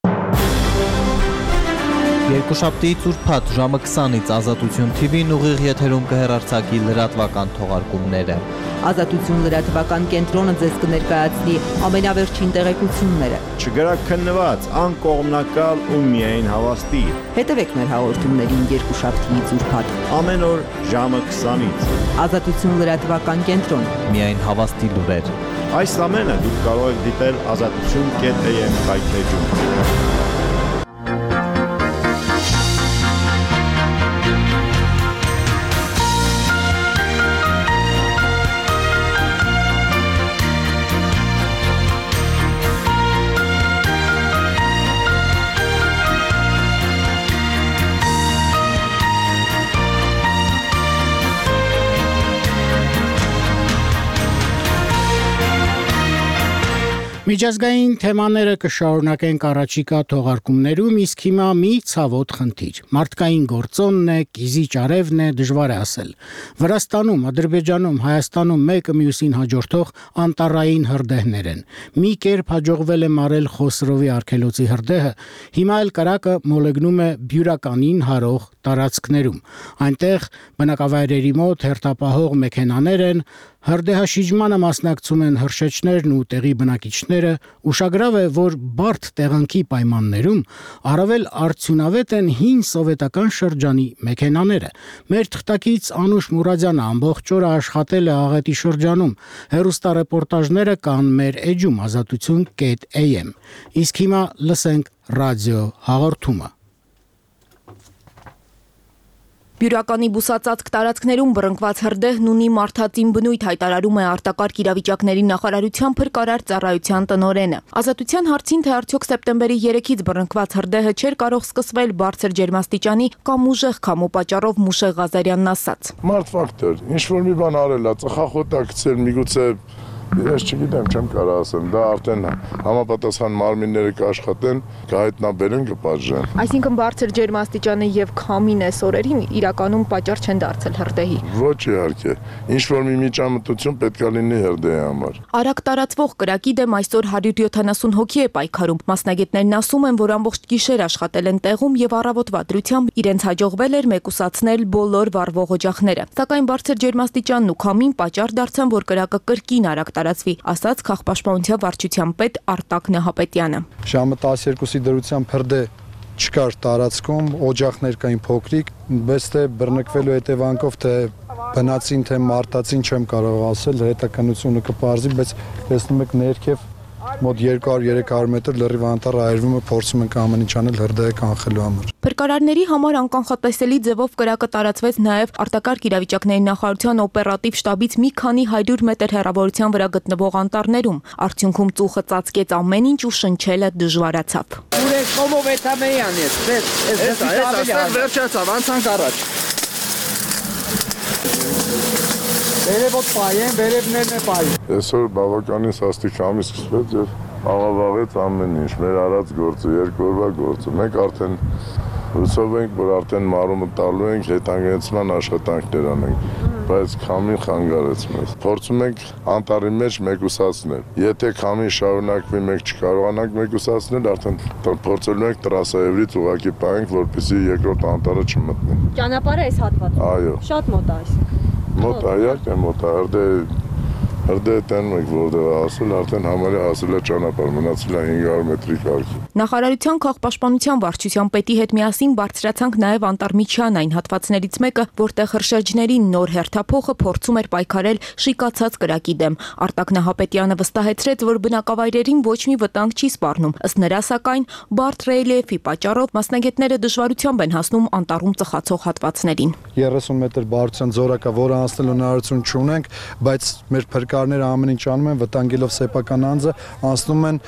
Երկուշաբթի ծուրփաթ ժամը քսանից Ազատություն թի վին ուղիղ եթերում կհեռարձակի լրատվական թողարկումները։ Ազատություն լրատվական կենտրոնը ձեզ կներկայացնի ամենավերջին տեղեկությունները։ Չգրաքննված, անկողմնակալ ու միայն հավաստի։ Հետևեք մեր հաղորդումներին երկուշաբթի ծուրփաթ ամեն օր ժամը քսանից։ Ազատություն լրատվական կենտրոն։ Միայն հավաստի լուրեր։ Այս ամենը դուք կարող եք դիտել ազատություն կետ էյ էմ կայքեջում։ Միջազգային թեմաները կշարունակենք առաջիկա թողարկումներում, իսկ հիմա մի ցավոտ խնդիր։ Մարդկային գործոնն է, կիզի ճարևն է, դժվար է ասել։ Վրաստանում, Ադրբեջանում, Հայաստանում մեկը մյուսին հաջորդող անտառային հրդեհներ են։ Մի կերպ հաջողվել է մարել Խոսրովի արգելոցի հրդեհը, հիմա էլ կրակը մոլեգնում է բյուրականին հարող տարածքներում։ Այնտեղ բնակավայրերի մոտ հերթապահող մեքենաներ են, հրդեհաշիջմանը մասնակցում են հրշեջներն ու տեղի բնակիչները, ուշագրավ է, որ բարդ տեղանքի պայմաններում առավել արդյունավետ են հին սովետական շրջանի մեքենաները։ Մեր թղթակից Անուշ Մուրադյանը ամբողջ օրը աշխատել է Աղետի շրջանում, հեռուստառեպորտաժները կան մեր էջում ազատություն կետ էյ էմ։ Իսկ հիմա լսենք ռադիո հաղորդումը։ Բյուրականի բուսածածկ տարածքներում բռնկված հրդեհն ունի մարդածին բնույթ, հայտարարում է արտակարգ իրավիճակների նախարարության փրկարար ծառայության տնօրենը։ Ազատության հարցին, թե արդյոք սեպտեմբերի երեքից բռնկված հրդեհը չէր կարող սկսվել բարձր ջերմաստիճանի կամ ուժեղ քամու պատճառով, Մուշեղ Ղազարյանն ասաց։ Մարդ ֆակտոր, ինչ որ մի բան արել է, ծխախոտա գցել, միգուցե ես չգիտեմ, չեմ կարող ասեմ, դա արդեն համապատասխան մարմինները կաշխատեն, կհայտնաբերեն, կպատժեն։ Այսինքն բարձր ջերմաստիճանը եւ քամին այս օրերին իրականում պատճառ չեն դարձել հրդեհի։ Ոչ իհարկե, ինչ որ մի միջամտություն պետք է լինի հրդեհի համար։ Արագ տարածվող կրակի դեմ այսօր հարյուր յոթանասուն հոգի է պայքարում։ Մասնագետներն ասում են, որ ամբողջ գիշեր աշխատել են տեղում եւ առավոտվա դրությամբ իրենց հաջողվել էր մեկուսացնել բոլոր վառվող օջախները։ Սակայն բարձր ջերմաստիճանն ու քամին պատճառ դարձան, որ կրակը կրկին արագ տարածվի, ասաց քաղաքապաշտպանության վարչության պետ Արտակ Նահապետյանը։ Ժամը տասներկուսի դրությամբ հրդեհ չկար տարածքում, օջախներ կային փոքրիկ, բայց թե բռնկվելու հետևանքով թե բնածին թե մարտածին չեմ կարող ասել, հետաքննությունը կպարզի, բայց տեսնում եք ներքև մոտ երկու հարյուր երեք հարյուր մետր լրիվ անտառ այրվում է, փորձում ենք ամեն ինչ անել հրդեհը կանխելու համար։ Փրկարարների համար անկանխատեսելի ձևով կրակը տարածվեց նաև արտակարգ իրավիճակների նախարարության օպերատիվ շտաբից մի քանի հարյուր մետր հեռավորության վրա գտնվող անտառներում։ Արդյունքում ծուխը ծածկեց ամեն ինչ ու շնչելը դժվարացավ։ Ուրեք կոմով էթամեյան է, էս էս վերջացավ, անցանք առաջ։ Վերևոտ պայեն, վերևներն է պայեն։ Այսօր բավականին սաստիկ ամիս սկսվեց եւ աղավաղեց ամեն ինչ, մեր արած գործը, երկու օրվա գործը։ Մենք արդեն հուսով ենք, որ արդեն մարումը տալու ենք, հետանգեցման աշխատանքներ անենք, բայց քամին խանգարեց մեզ։ Փորձում ենք անտառի մեջ մեկուսացնել։ Եթե քամին շարունակվի, մենք չկարողանանք մեկուսացնել, արդեն փորձելու ենք տրասայևրից ուղակի պահենք, որպեսզի երկրորդ անտառը չմտնի։ Ճանապարհը այս հատվածում։ Այո։ Շատ մոտ է այսինքն։ Մոտ այակ է, մոտ այ Հրդեհ տանում եք որտեղ հասել, արդեն համարյա հասել է ճանապարհ, մնացել է հինգ հարյուր մետրի կարգի։ Նախարարության քաղաքապաշտպանության վարչության պետի հետ միասին բարձրացանք նաև Անտառմիջյան այն հատվածներից մեկը, որտեղ հրշեջների նոր հերթափոխը փորձում էր պայքարել շիկացած կրակի դեմ։ Արտակ Նահապետյանը վստահեցրեց, որ բնակավայրերին ոչ մի վտանգ չի սպառնում։ Ըստ նրա, սակայն բարդ ռելիեֆի պատճառով մասնագետները դժվարությամբ են հասնում անտառում ծխացող հատվածներին։ երեսուն մետր բարձրության զորակա, որը անցնելու հնարավորություն չունենք, բայց մեր փրկարները ամեն ինչ անում են, վտանգելով սեփական անձը, անցնում են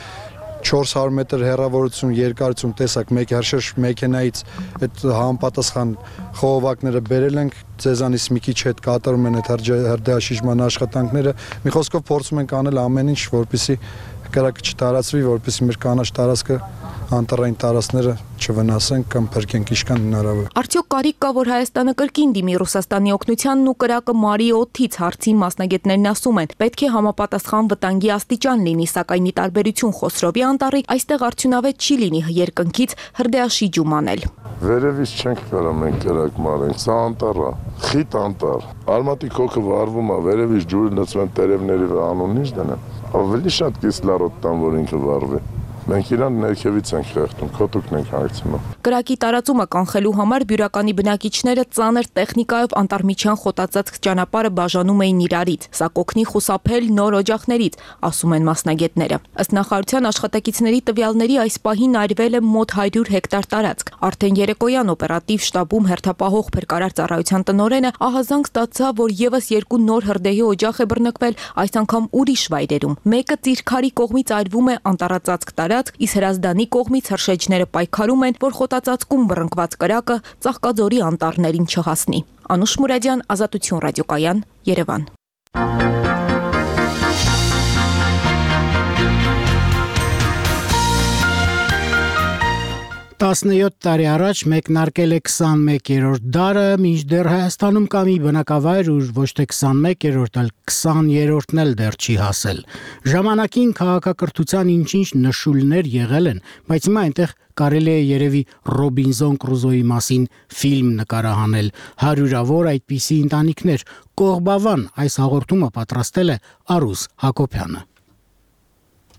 չորս հարյուր մետր հեռավորություն, երկարություն, տեսակ մեկ հրշեջ մեքենայից այդ համապատասխան խողովակները բերել ենք, ձեզանից մի քիչ հետ կատարում են այդ հրդեհաշիժման աշխատանքները։ Մի խոսքով փորձում ենք անել ամեն ինչ, որպեսզի կրակը չտարածվի, որպեսզի մեր կանաչ տարածքը անտառային տարածքները չվնասեն կամ փրկենք ինչքան հնարավոր։ Արդյոք կարիք կա, որ Հայաստանը կրկին դիմի Ռուսաստանի օգնությանն ու կրակը մարի օդից հարցին մասնագետներն ասում են, պետք է համապատասխան վտանգի աստիճան լինի, սակայն ի տարբերություն Խոսրովի անտառի, այստեղ արդյունավետ չի լինի երկնքից հրդեհաշիջում անել։ Վերևից չենք կարող մենք կրակ մարենք, սա անտառ է, խիտ անտառ։ Արմատի քոքը վառվում է, վերևից ջուրը լցվում տերևների վրա, անուն ինչ դնեմ։ Ավելի շատ կիսլարոտ տան, որ ինքը վառվի։ Մենք իրան ներքևից ենք խեղդում, քոտուկն ենք հանգցնում։ Կրակի տարածումը կանխելու համար բյուրականի բնակիչները ծանր տեխնիկայով Անտառմիջյան խոտածածկ ճանապարհը բաժանում էին իրարից։ Սա կօգնի խուսափել նոր օջախներից, ասում են մասնագետները։ Ըստ նախարարության աշխատակիցների տվյալների, այս պահին այրվել է մոտ հարյուր հեկտար տարածք։ Արդեն երեկոյան օպերատիվ շտաբում հերթապահող փրկարար ծառայության տնօրենը ահազանգ ստացավ, որ եւս երկու նոր հրդեհի օջախ է բռնկվել, այս անգամ ուրիշ վայրերում։ Մեկը Ծիրքարի կողմից այրվում է անտառածածկ տարածք, իսկ Հրազդանի կողմից հրշեջները պայքարում են, որ խոտածածկում բռնկված կրակը Ծաղկաձորի անտառներին չհասնի։ Անուշ Մուրադյան, Ազատություն ռադիոկայան, Երևան։ տասնյոթ տարի առաջ մեկնարկել է քսանմեկերորդ դարը, մինչդեռ Հայաստանում կա մի բնակավայր, ուր ոչ թե քսանմեկերորդ, այլ քսաներորդն էլ դեռ չի հասել։ Ժամանակին քաղաքակրթության ինչ-ինչ նշույլներ եղել են, բայց հիմա այնտեղ կարելի է երևի Ռոբինզոն Կրուզոյի մասին ֆիլմ նկարահանել։ Հարյուրավոր այդպիսի ընտանիքներ։ Կողբավան այս հաղորդումը պատրաստել է Արուս Հակոբյանը։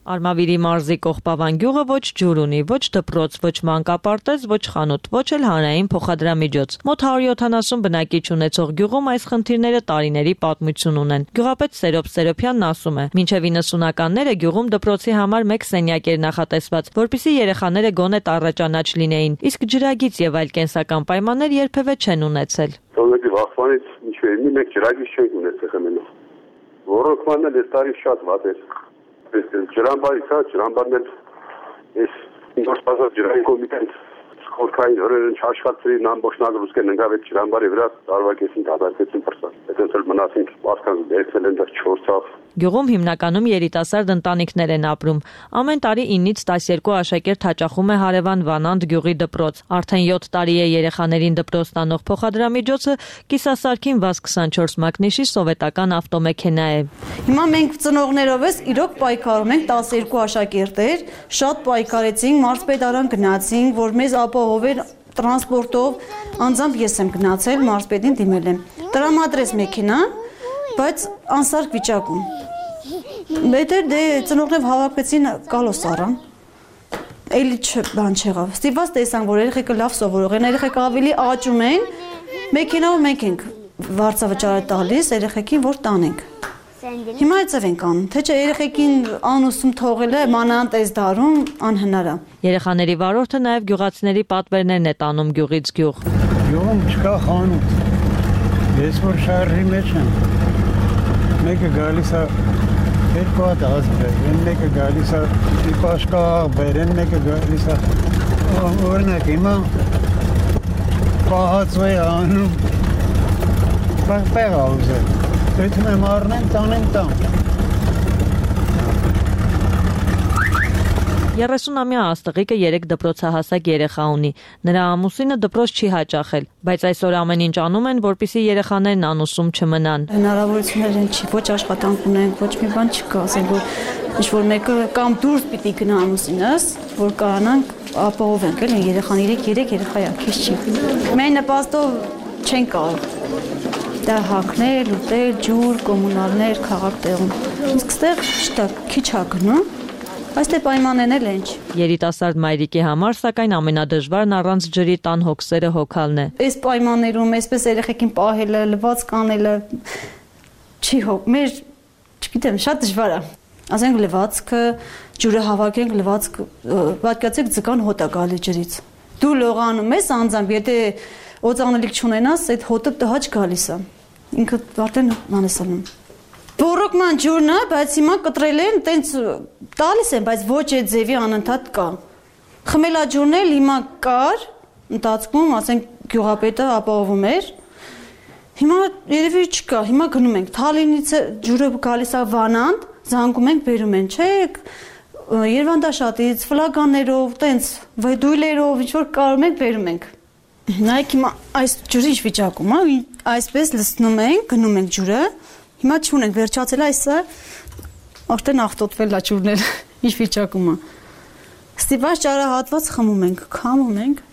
Արմավիրի մարզի Կողբավան գյուղը ոչ ջուր ունի, ոչ դպրոց, ոչ մանկապարտեզ, ոչ խանութ, ոչ էլ հանրային փոխադրամիջոց։ Մոտ հարյուր յոթանասուն բնակիչ ունեցող գյուղում այս խնդիրները տարիների պատմություն ունեն։ Գյուղապետ Սերոբ Սերոբյանն ասում է, մինչև իննսունականները գյուղում դպրոցի համար մեկ սենյակ էր նախատեսված, որպեսզի երեխաները գոնե տառաճանաչ լինեին, իսկ ջրագիծ եւ այլ կենսական պայմաններ երբևէ չեն ունեցել։ Որովհետեւ վախվանից ինչ-որ մի մեկ ջրագիծ չենք ունեցել խմելով։ Ռոռոկմանն էլ տարի շատ վատ էր։ Ջրամբարի կա, ջրամբարն էլ այս ինքնասպասած ջրային կոմիտեն խորքային հորերն չաշխատցրին ամբողջ նագրուսկեն ընկավ այդ ջրամբարի վրա տարվակեցին, դատարկեցին պրսան։ Այդպես էլ մնացինք ասկան դերցել են դեռ չորսավ։ Գյուղում հիմնականում երիտասարդ ընտանիքներ են ապրում։ Ամեն տարի ինից տասներկու աշակերտ հաճախում է հարևան Վանանդ գյուղի դպրոց։ Արդեն յոթ տարի է երեխաներին դպրոց տանող փոխադրամիջոցը կիսասարքին վազ քսանչորս մակնիշի սովետական ավտոմեքենա է։ Հիմա մենք ծնողներով ես իրոք պայքարում ենք, տասներկու աշակերտեր, շատ պայքարեցինք, մարզպետարան գնացինք, որ մեզ ապահովեն տրանսպորտով, անձամբ ես եմ գնացել, մարզպետին դիմել եմ։ Տրամադրեց մեքենան, բայց անսարք վիճակում։ Մետր դե ծնողներով հավաքվեցին կալոս առան։ Էլի բան չեղավ։ Ստիպված տեսանք, որ երեխեքը լավ սովորող են, երեխեքը ավելի աճում են։ Մեքենայով մենք ենք վարձավճարը տալիս երեխեքին, որ տանենք։ Հիմա այդպես ենք անում, թե չէ երեխեքին անուսում թողելը մանանտ այս դարում անհնար է։ Երեխաների վարորդը նաև գյուղացիների պատվերներն է տանում գյուղից գյուղ։ Գյուղում չկա խանութ։ Ես որ շարժի մեջ եմ։ Մեկը գալիս է երկու հատ ազգեր, մեկը գալիս է իպաշկա բերեն, մեկը գալիս է օրինակ հիմա պահածվե անում պեղ աուզել, պետում եմ առնեմ, տանեմ տան։ երեսունամյա աստղիկը երեք դպրոցահասակ երեխա ունի։ Նրա ամուսինը դպրոց չի հաճախել, բայց այսօր ամեն ինչ անում են, որպեսզի երեխաներն անուսում չմնան։ Հնարավորություններ են չի, ոչ աշխատանք ունենք, ոչ մի բան չկա, ասենք որ ինչ-որ մեկը կամ դուրս պիտի գնա ամուսինս, որ կարողանանք ապահովենք, էլ երեխան երեք երեխա է, քիչ չի։ Մեր նպաստով չեն կարող դա հագնել, ուտել, ջուր, կոմունալներ, քաղաք տեղում։ իսկ ստեղ շտակ քիչ ա գնում, բայց դե պայմաններն էլ են։ Երիտասարդ մայրիկի համար սակայն ամենադժվարն առանց ջրի տան հոգսերը հոգալն է։ Այս պայմաններում այսպես երեխեքին պահելը, լվաց կանելը չի հոգ, մեր չգիտեմ, շատ դժվար է։ Ասենք լվացքը, ջուրը հավաքենք, լվացք, պատկացեք ձկան հոտ է գալի ջրից։ Դու լողանում ես անձամբ, եթե օծանելիք չունենաս, այդ հոտը տհաճ գալիս է։ Ինքը արդեն մանեսանում։ Բորոկման ջուրն է, բայց հիմա կտրել են, տենց տալիս են, բայց ոչ այդ ձևի անընդհատ կա։ Խմելաջուրն էլ հիմա կար, ընթացքում, ասենք գյուղապետը ապահովում էր։ Հիմա երևի չկա, հիմա գնում ենք, Թալինից ջուրը գալիս է Վանանդ, զանգում ենք, բերում են, չէ, Երևանդաշատից, ֆլագաններով, տենց վեդույլերով, ինչ որ կարում ենք, բերում ենք։ Նայեք հիմա այս ջուրի ինչ վիճակում է, այսպես լցնում ենք, գնում ենք ջուրը, հիմա չունենք, վերջացել այսը, արդեն աղտոտվել է ջուրն էլ, ինչ վիճակում է։ Ստիպված ճարահատված խմում ենք, քամում ենք։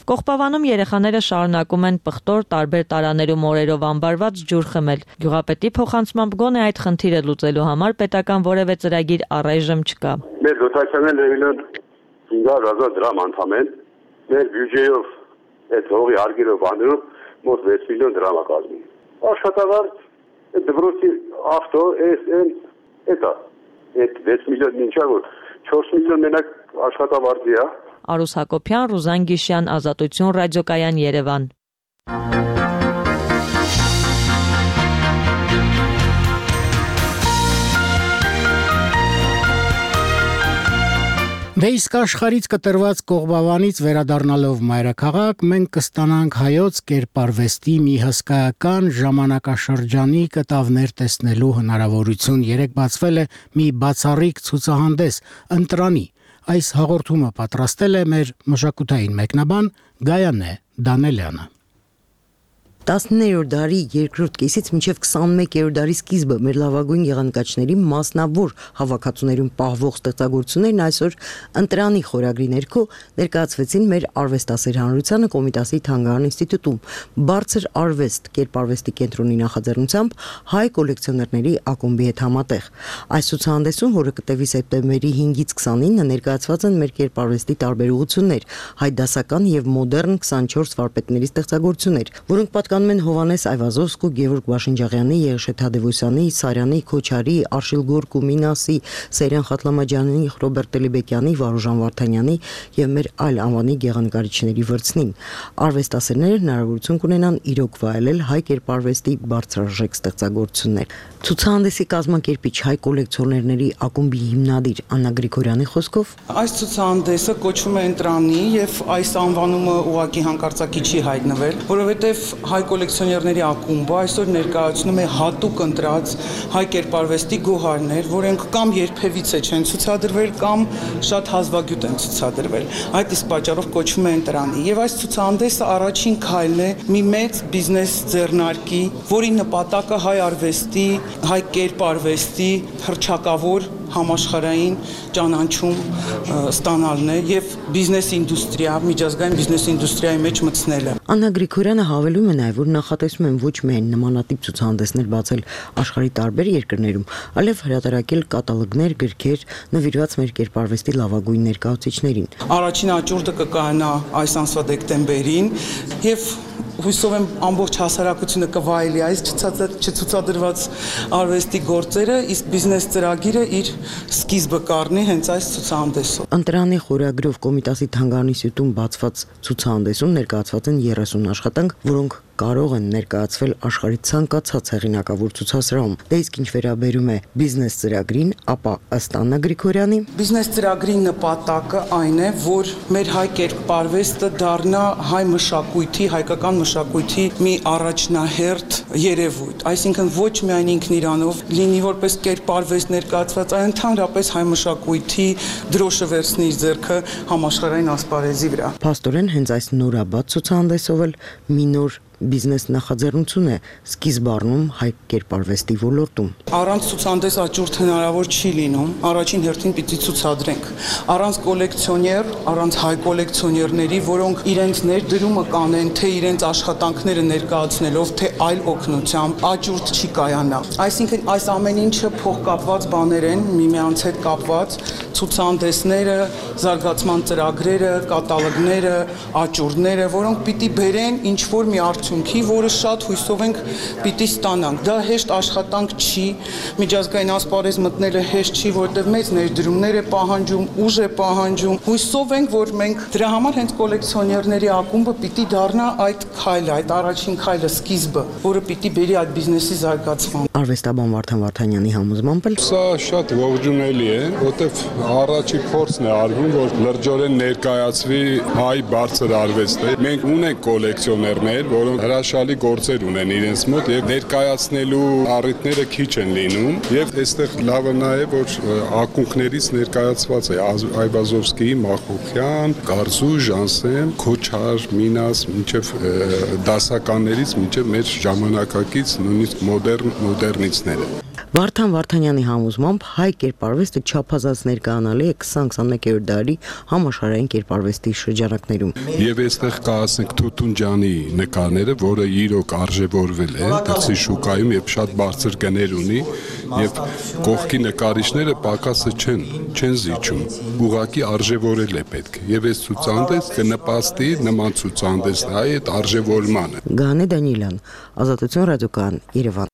Կողբավանում երեխաները շարունակում են պղտոր տարբեր տարաներում օրերով անբարված ջուր խմել։ Գյուղապետի փոխանցմամբ գոնե այդ խնդիրը լուծելու համար պետական որևէ ծրագիր առայժմ չկա։ Մեր դոտացիաները միլիոն հինգ հազար դրամ անդամ են, մեր բյուջեով այդ հողի հարգերով բանում մոտ վեց միլիոն դրամ է կազմում։ Աշխատավարձ, այդ դպրոցի ավտո, այս այն, էտա, այդ վեց միլիոն ինչա որ չորս միլիոն մենակ աշխատավարձի է։ Արուս Հակոբյան, Ռուզան Գիշյան, Ազատություն ռադիոկայան, Երևան։ Դե իսկ աշխարհից կտրված Կողբավանից վերադառնալով մայրաքաղաք, մենք կստանանք հայոց կերպարվեստի մի հսկայական ժամանակաշրջանի կտավներ տեսնելու հնարավորություն։ Երեկ բացվել է մի բացառիկ ցուցահանդես ընտրանի։ Այս հաղորդումը պատրաստել է մեր մշակութային մեկնաբան Գայանե Դանելյանը։ տասնիններորդ դարի երկրորդ կեսից մինչև քսանմեկերորդ դարի սկիզբը մեր լավագույն եղանկաչների մասնավոր հավաքածուներում պահվող ստեղծագործություններն այսօր ընտրանի խորագրի ներքո ներկայացվեցին մեր արվեստասեր հանրությանը Կոմիտասի Թանգարան ինստիտուտում բարձր արվեստ կերպարվեստի կենտրոնի նախաձեռնությամբ հայ կոլեկցիոներների ակումբի հետ համատեղ։ Այս ցուցահանդեսում, որը կտևի սեպտեմբերի հինգից քսանինը, ներկայացված են մեր կերպարվեստի տարբեր ուղղություններ, հայ դասական եւ մոդեռն քսանչորս վարպետների ստեղծագործություններ, որոնք պատկանում են Հովանես Այվազովսկու, Գևորգ Վաշինջաղյանի, Երշե Թադևոսյանի, Սարյանի, Քոչարի, Արշիլ Գորկու, Մինասի, Սերյան Խատլամաջանյանի, Ռոբերտ Տելիբեկյանի, Վարուժան Վարդանյանի եւ մեր այլ անվանի գեղանկարիչների վրձնին։ Արվեստասերները հնարավորություն կունենան իրոք վայելել հայ կերպարվեստի բարձրարժեք ստեղծագործություններ։ Ցուցահանդեսի կազմակերպիչ հայ կոլեկցիոներների ակումբի հիմնադիր Աննա Գրիգորյանի խոսքով այս ցուցահանդեսը կոչվում է ընտրանի եւ այս անվանումը ուղղակի հանկարծակի չի հայտնվել, որովհետեւ հայ կոլեկցիոներների ակումբը այսօր ներկայացնում է հատուկ ընտրած հայ կերպարվեստի գոհարներ, որոնք կամ երբևիցե չեն ցուցադրվել, կամ շատ հազվագյուտ են ցուցադրվել։ Այդ իսկ պատճառով կոչվում է ընտրանի։ Եվ այս ցուցահանդեսը առաջին քայլն է մի մեծ բիզնես ձեռնարկի, որի նպատակը հայ արվեստի, հայ կերպարվեստի հռչակավոր համաշխարհային ճանաչում ստանալն է եւ բիզնես ինդուստրիա, միջազգային բիզնես ինդուստրիայի մեջ մտցնելը։ Աննա Գրիգորյանը հավելում է նաեւ, որ նախատեսում են ոչ միայն նմանատիպ ցուցահանդեսներ բացել աշխարհի տարբեր երկրներում, այլև հրատարակել կատալոգներ, գրքեր նվիրված մեր կերպարվեստի լավագույն ներկայացուցիչներին։ Առաջին աճուրդը կկայանա այս ամսվա դեկտեմբերին եւ հույսով եմ ամբողջ հասարակությունը կվայելի այս չցուցադրված արվեստի գործերը, իսկ բիզնես ծրագիրը իր սկիզբը կառնի հենց այս ցուցահանդեսով։ Ընտրանի խորագրով Կոմիտասի Թանգարանի ինստիտուտում բացված ցուցահանդեսում ներկայացված են երեսուն աշխատանք, որոնք կարող են ներկայացվել աշխարհի ցանկացած հեղինակավոր ցուցասրահում։ Դե իսկ ինչ վերաբերում է բիզնես ծրագրին, ապա ըստ Աննա Գրիգորյանի, բիզնես ծրագրի նպատակը այն է, որ մեր հայ կերպարվեստը դառնա հայ մշակույթի, հայկական մշակույթի մի առաջնահերթ երևույթ, այսինքն ոչ միայն ինքն իրանով լինի որպես կերպարվեստ ներկայացված, այլ ընդհանրապես հայ մշակույթի դրոշը վերցնի իր ձեռքը համաշխարհային ասպարեզի վրա։ Փաստորեն հենց այս նորաբաց ցուցահանդեսով էլ մի նոր բիզնես նախաձեռնություն է սկիզբ առնում հայ կերպարվեստի ոլորտում։ Առանց ցուցանտես աճուրդ հնարավոր չի լինում, առաջին հերթին պիտի ցուցադրենք։ Առանց կոլեկցիոներ, առանց հայ կոլեկցիոներների, որոնք իրենց ներդրումը կանեն, թե իրենց աշխատանքները ներկայացնելով, թե այլ օգնությամբ, աճուրդ չի կայանա։ Այսինքն այս ամեն ինչը փոխկապված բաներ են, միմյանց հետ կապված, ցուցանտեսները, զարգացման ծրագրերը, կատալոգները, աճուրդները, որոնք պիտի բերեն ինչ որ մի արդյունքի, որը շատ հույսով ենք պիտի ստանանք։ Դա հեշտ աշխատանք չի, միջազգային ասպարեզ մտնելը հեշտ չի, որովհետև մեծ ներդրումներ է պահանջում, ուժ է պահանջում։ Հույսով ենք, որ մենք դրա համար հենց կոլեկցիոներների ակումբը պիտի դառնա այդ քայլը, այդ առաջին քայլը, սկիզբը, որը պիտի բերի այդ բիզնեսի զարգացման։ Արվեստաբան Վարդան Վարդանյանի համոզմամբ սա շատ ողջունելի է, որտեվ առաջի փորձն է արվում, որ լրջորեն ներկայացվի հայ բարձր արվեստը։ Մենք ունենք կոլեկցիոներներ, որոնք հրաշալի գործեր ունեն իրենց մոտ եւ ներկայացնելու առիթները քիչ են լինում եւ այստեղ լավը նա է, որ ակունքներից ներկայացված է Այվազովսկի, Մախոխյան, Գարզու, Ժանսեմ, Քոչար, Մինաս, մինչեւ դասականներից մինչեւ մեր ժամանակակից նույնիսկ մոդեռն մոդեռնիստները։ Վարդան Վարդանյանի համոզմամբ հայ կերպարվեստը չափազանց ներկայանալի է քսան-քսաներորդ դարի համաշխարհային կերպարվեստի շրջանակներում։ Եվ այստեղ կա, ասենք, Թութունջանի նկարները, որը իրոք արժևորվել է դրսի շուկայում եւ շատ բարձր գներ ունի, եւ կողքի նկարիչները պակասը չեն, չեն զիջում։ Ուղղակի արժևորել է պետք։ Եվ այս ցուցանտես կնպաստի նման ցուցանտեսների այդ արժևորմանը։ Գանե Դանիելյան, Ազատություն ռադիոկայան, Երևան։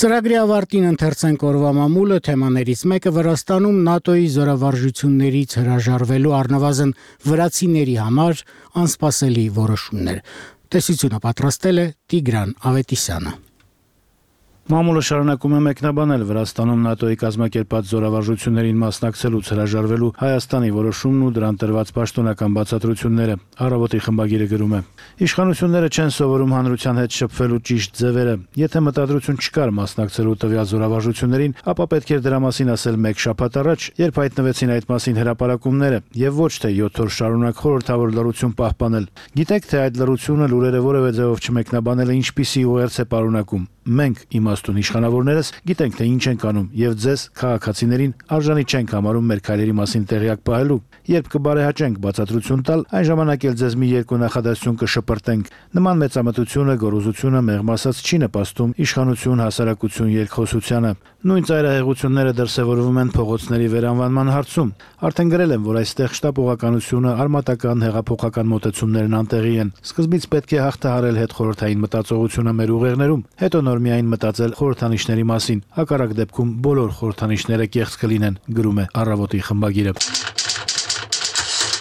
Ծրագրի ավարտին ընթերցենք օրվա մամուլը, թեմաներից մեկը Վրաստանում ՆԱՏՕ-ի զորավարժություններից հրաժարվելու առնվազն վրացիների համար անսպասելի որոշումներ։ Տեսությունը պատրաստել է Տիգրան Ավետիսյանը։ Մամուլը շարունակում է մեկնաբանել Վրաստանում ՆԱՏՕ-ի կազմակերպած զորավարժություններին մասնակցելուց հրաժարվելու Հայաստանի որոշումն ու դրան տրված պաշտոնական բացատրությունները։ Առավոտի խմբագիրը գրում է. Իշխանությունները չեն սովորում հանրության հետ շփվելու ճիշտ ձևերը։ Եթե մտադրություն չկար մասնակցելու տվյալ զորավարժություններին, ապա պետք էր դրա մասին ասել մեկ շաբաթ առաջ, երբ հայտնվեցին այդ մասին հրապարակումները, եւ ոչ թե յոթ օր շարունակ խորհրդավոր լռություն պահպանել։ Գիտեք, թե այդ լռությունը լուրերը որևէ ձևով չմեկնաբանելը ինչպիսի ուղերձ է պարունակում։ Մենք իմաստուն իշխանավորներս գիտենք, թե ինչ ենք անում եւ ձեզ քաղաքացիներին արժանի չենք համարում մեր քայլերի մասին տեղյակ պահելու։ Երբ կբարեհաճենք բացատրություն տալ, այն ժամանակ էլ ձեզ մի երկու նախադասություն կշպրտենք։ Նման մեծամտությունը, գոռոզությունը մեղմ ասած չի նպաստում իշխանություն, հասարակություն երկխոսությանը։ Նույն ծայրահեղությունները դրսևորվում են փողոցների վերանվանման հարցում։ Արդեն գրել եմ, որ այստեղ շտապողականությունը, արմատական, հեղափոխական մոտեցումներն անտեղի են։ Սկզբից պետք է հաղթահարել հետխորհրդային մտածողությունը մեր ուղերներում, հետո նոր միայն մտածել խորհրդանիշների մասին։ Հակառակ դեպքում բոլոր խորհրդանիշները կեղծ կլինեն, գրում է Առավոտի խմբագիրը։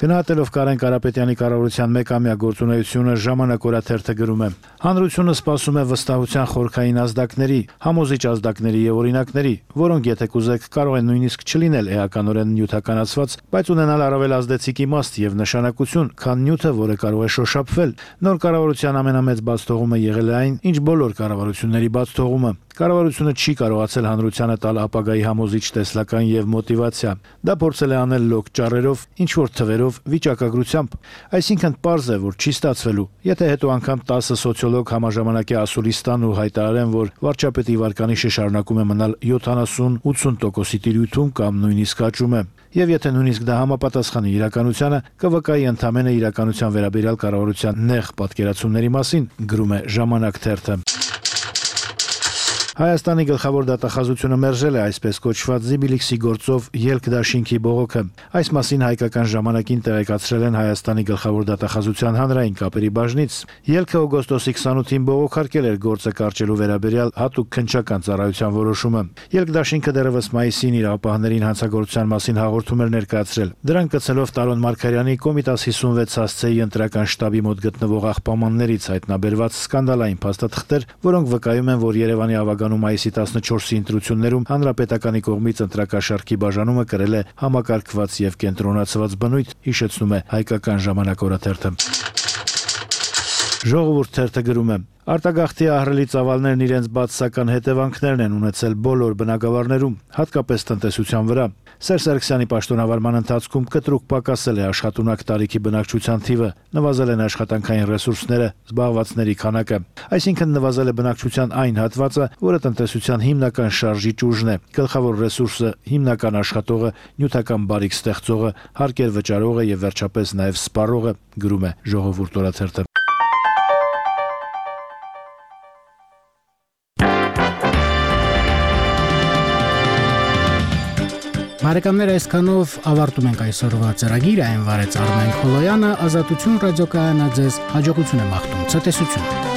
Գնահատելով Կարեն Կարապետյանի կառավարության մեկամյա գործունեությունը Ժամանակ օրաթերթը գրում է. Հանրությունը սպասում է վստահության խորքային ազդակների, համոզիչ ազդակների եւ օրինակների, որոնք եթե կուզեք կարող են նույնիսկ չլինել էականորեն նյութականացված, բայց ունենալ առավել ազդեցիկ իմաստ եւ նշանակություն, քան նյութը, որը կարող է շոշափվել։ Նոր կառավարության ամենամեծ բացթողումը եղել է այն, ինչ բոլոր կառավարությունների բացթողումը։ Կառավարությունը չի կարողացել հանրությանը տալ ապագայի համոզիչ տեսլական եւ մոտիվացիա։ Դա փորձել է անել լոկ ճառերով, ինչ որ թվերով, վիճակագրությամբ։ Այսինքն պարզ է, որ չի ստացվելու։ Եթե հետո անգամ տասը սոցիոլոգ համաժամանակի ասուլի ստան ու հայտարարեն, որ վարչապետի վարկանիշը շարունակում է մնալ յոթանասուն-ութսուն տոկոսի տիրույթում կամ նույնիսկ աճում է։ Եվ եթե նույնիսկ դա համապատասխանի իրականությանը, կվկայի ընդամենը իրականության վերաբերյալ կառավարության նեղ պատկերացումների մասին, գրում է Ժամանակ թերթը։ Հայաստանի գլխավոր դատախազությունը մերժել է այսպես կոչված Զիբիլիքսի գործով ելք դաշինքի բողոքը։ Այս մասին հայկական ժամանակին տեղեկացրել են Հայաստանի գլխավոր դատախազության հանրային կապերի բաժնից։ Ելքը օգոստոսի քսանութին բողոքարկել էր գործը կարճելու վերաբերյալ հատուկ քննչական ծառայության որոշումը։ Ելք դաշինքը դեռևս մայիսին իր ապահներին հանցագործության մասին հաղորդում էր ներկայացրել։ Դրան կցելով Տարոն Մարգարյանի Կոմիտաս հիսունվեց հասցեի ընտրական շտաբի մոտ գտնվող աղբամաններից հայտնաբերված սկանդալային փաստաթղթեր, որոնք վկայում են, որ Երևանի ավագ մայիսի տասնչորսի ընտրություններում հանրապետականի կողմից ընտրակաշարքի բաժանումը կրել է համակարգված եւ կենտրոնացված բնույթ, հիշեցնում է Հայկական ժամանակ օրաթերթը։ Ժողովուրդ թերթը գրում է. Արտագաղթի ահռելի ծավալներն իրենց բացասական հետևանքներն են ունեցել բոլոր բնակավարներում, հատկապես տնտեսության վրա։ Սերժ Սարգսյանի պաշտոնավարման ընթացքում կտրուկ պակասել է աշխատունակ տարիքի բնակչության թիվը, նվազել են աշխատանքային ռեսուրսները, զբաղվածների քանակը։ Այսինքն նվազել է բնակչության այն հատվածը, որը տնտեսության հիմնական շարժիչ ուժն է, գլխավոր ռեսուրսը, հիմնական աշխատողը, նյութական բարիք ստեղծողը, հարկեր վճարողը եւ վերջապես նաեւ սպառողը, գրում է Ժողովուրդ օրաթերթը։ Բարեկամներ, այսքանով ավարտում ենք այսօրվա ծրագիրը, այն վարեց Արմեն Քոլոյանը, Ազատություն ռադիոկայանը ձեզ հաջողություն է մաղթում, ցտեսություն։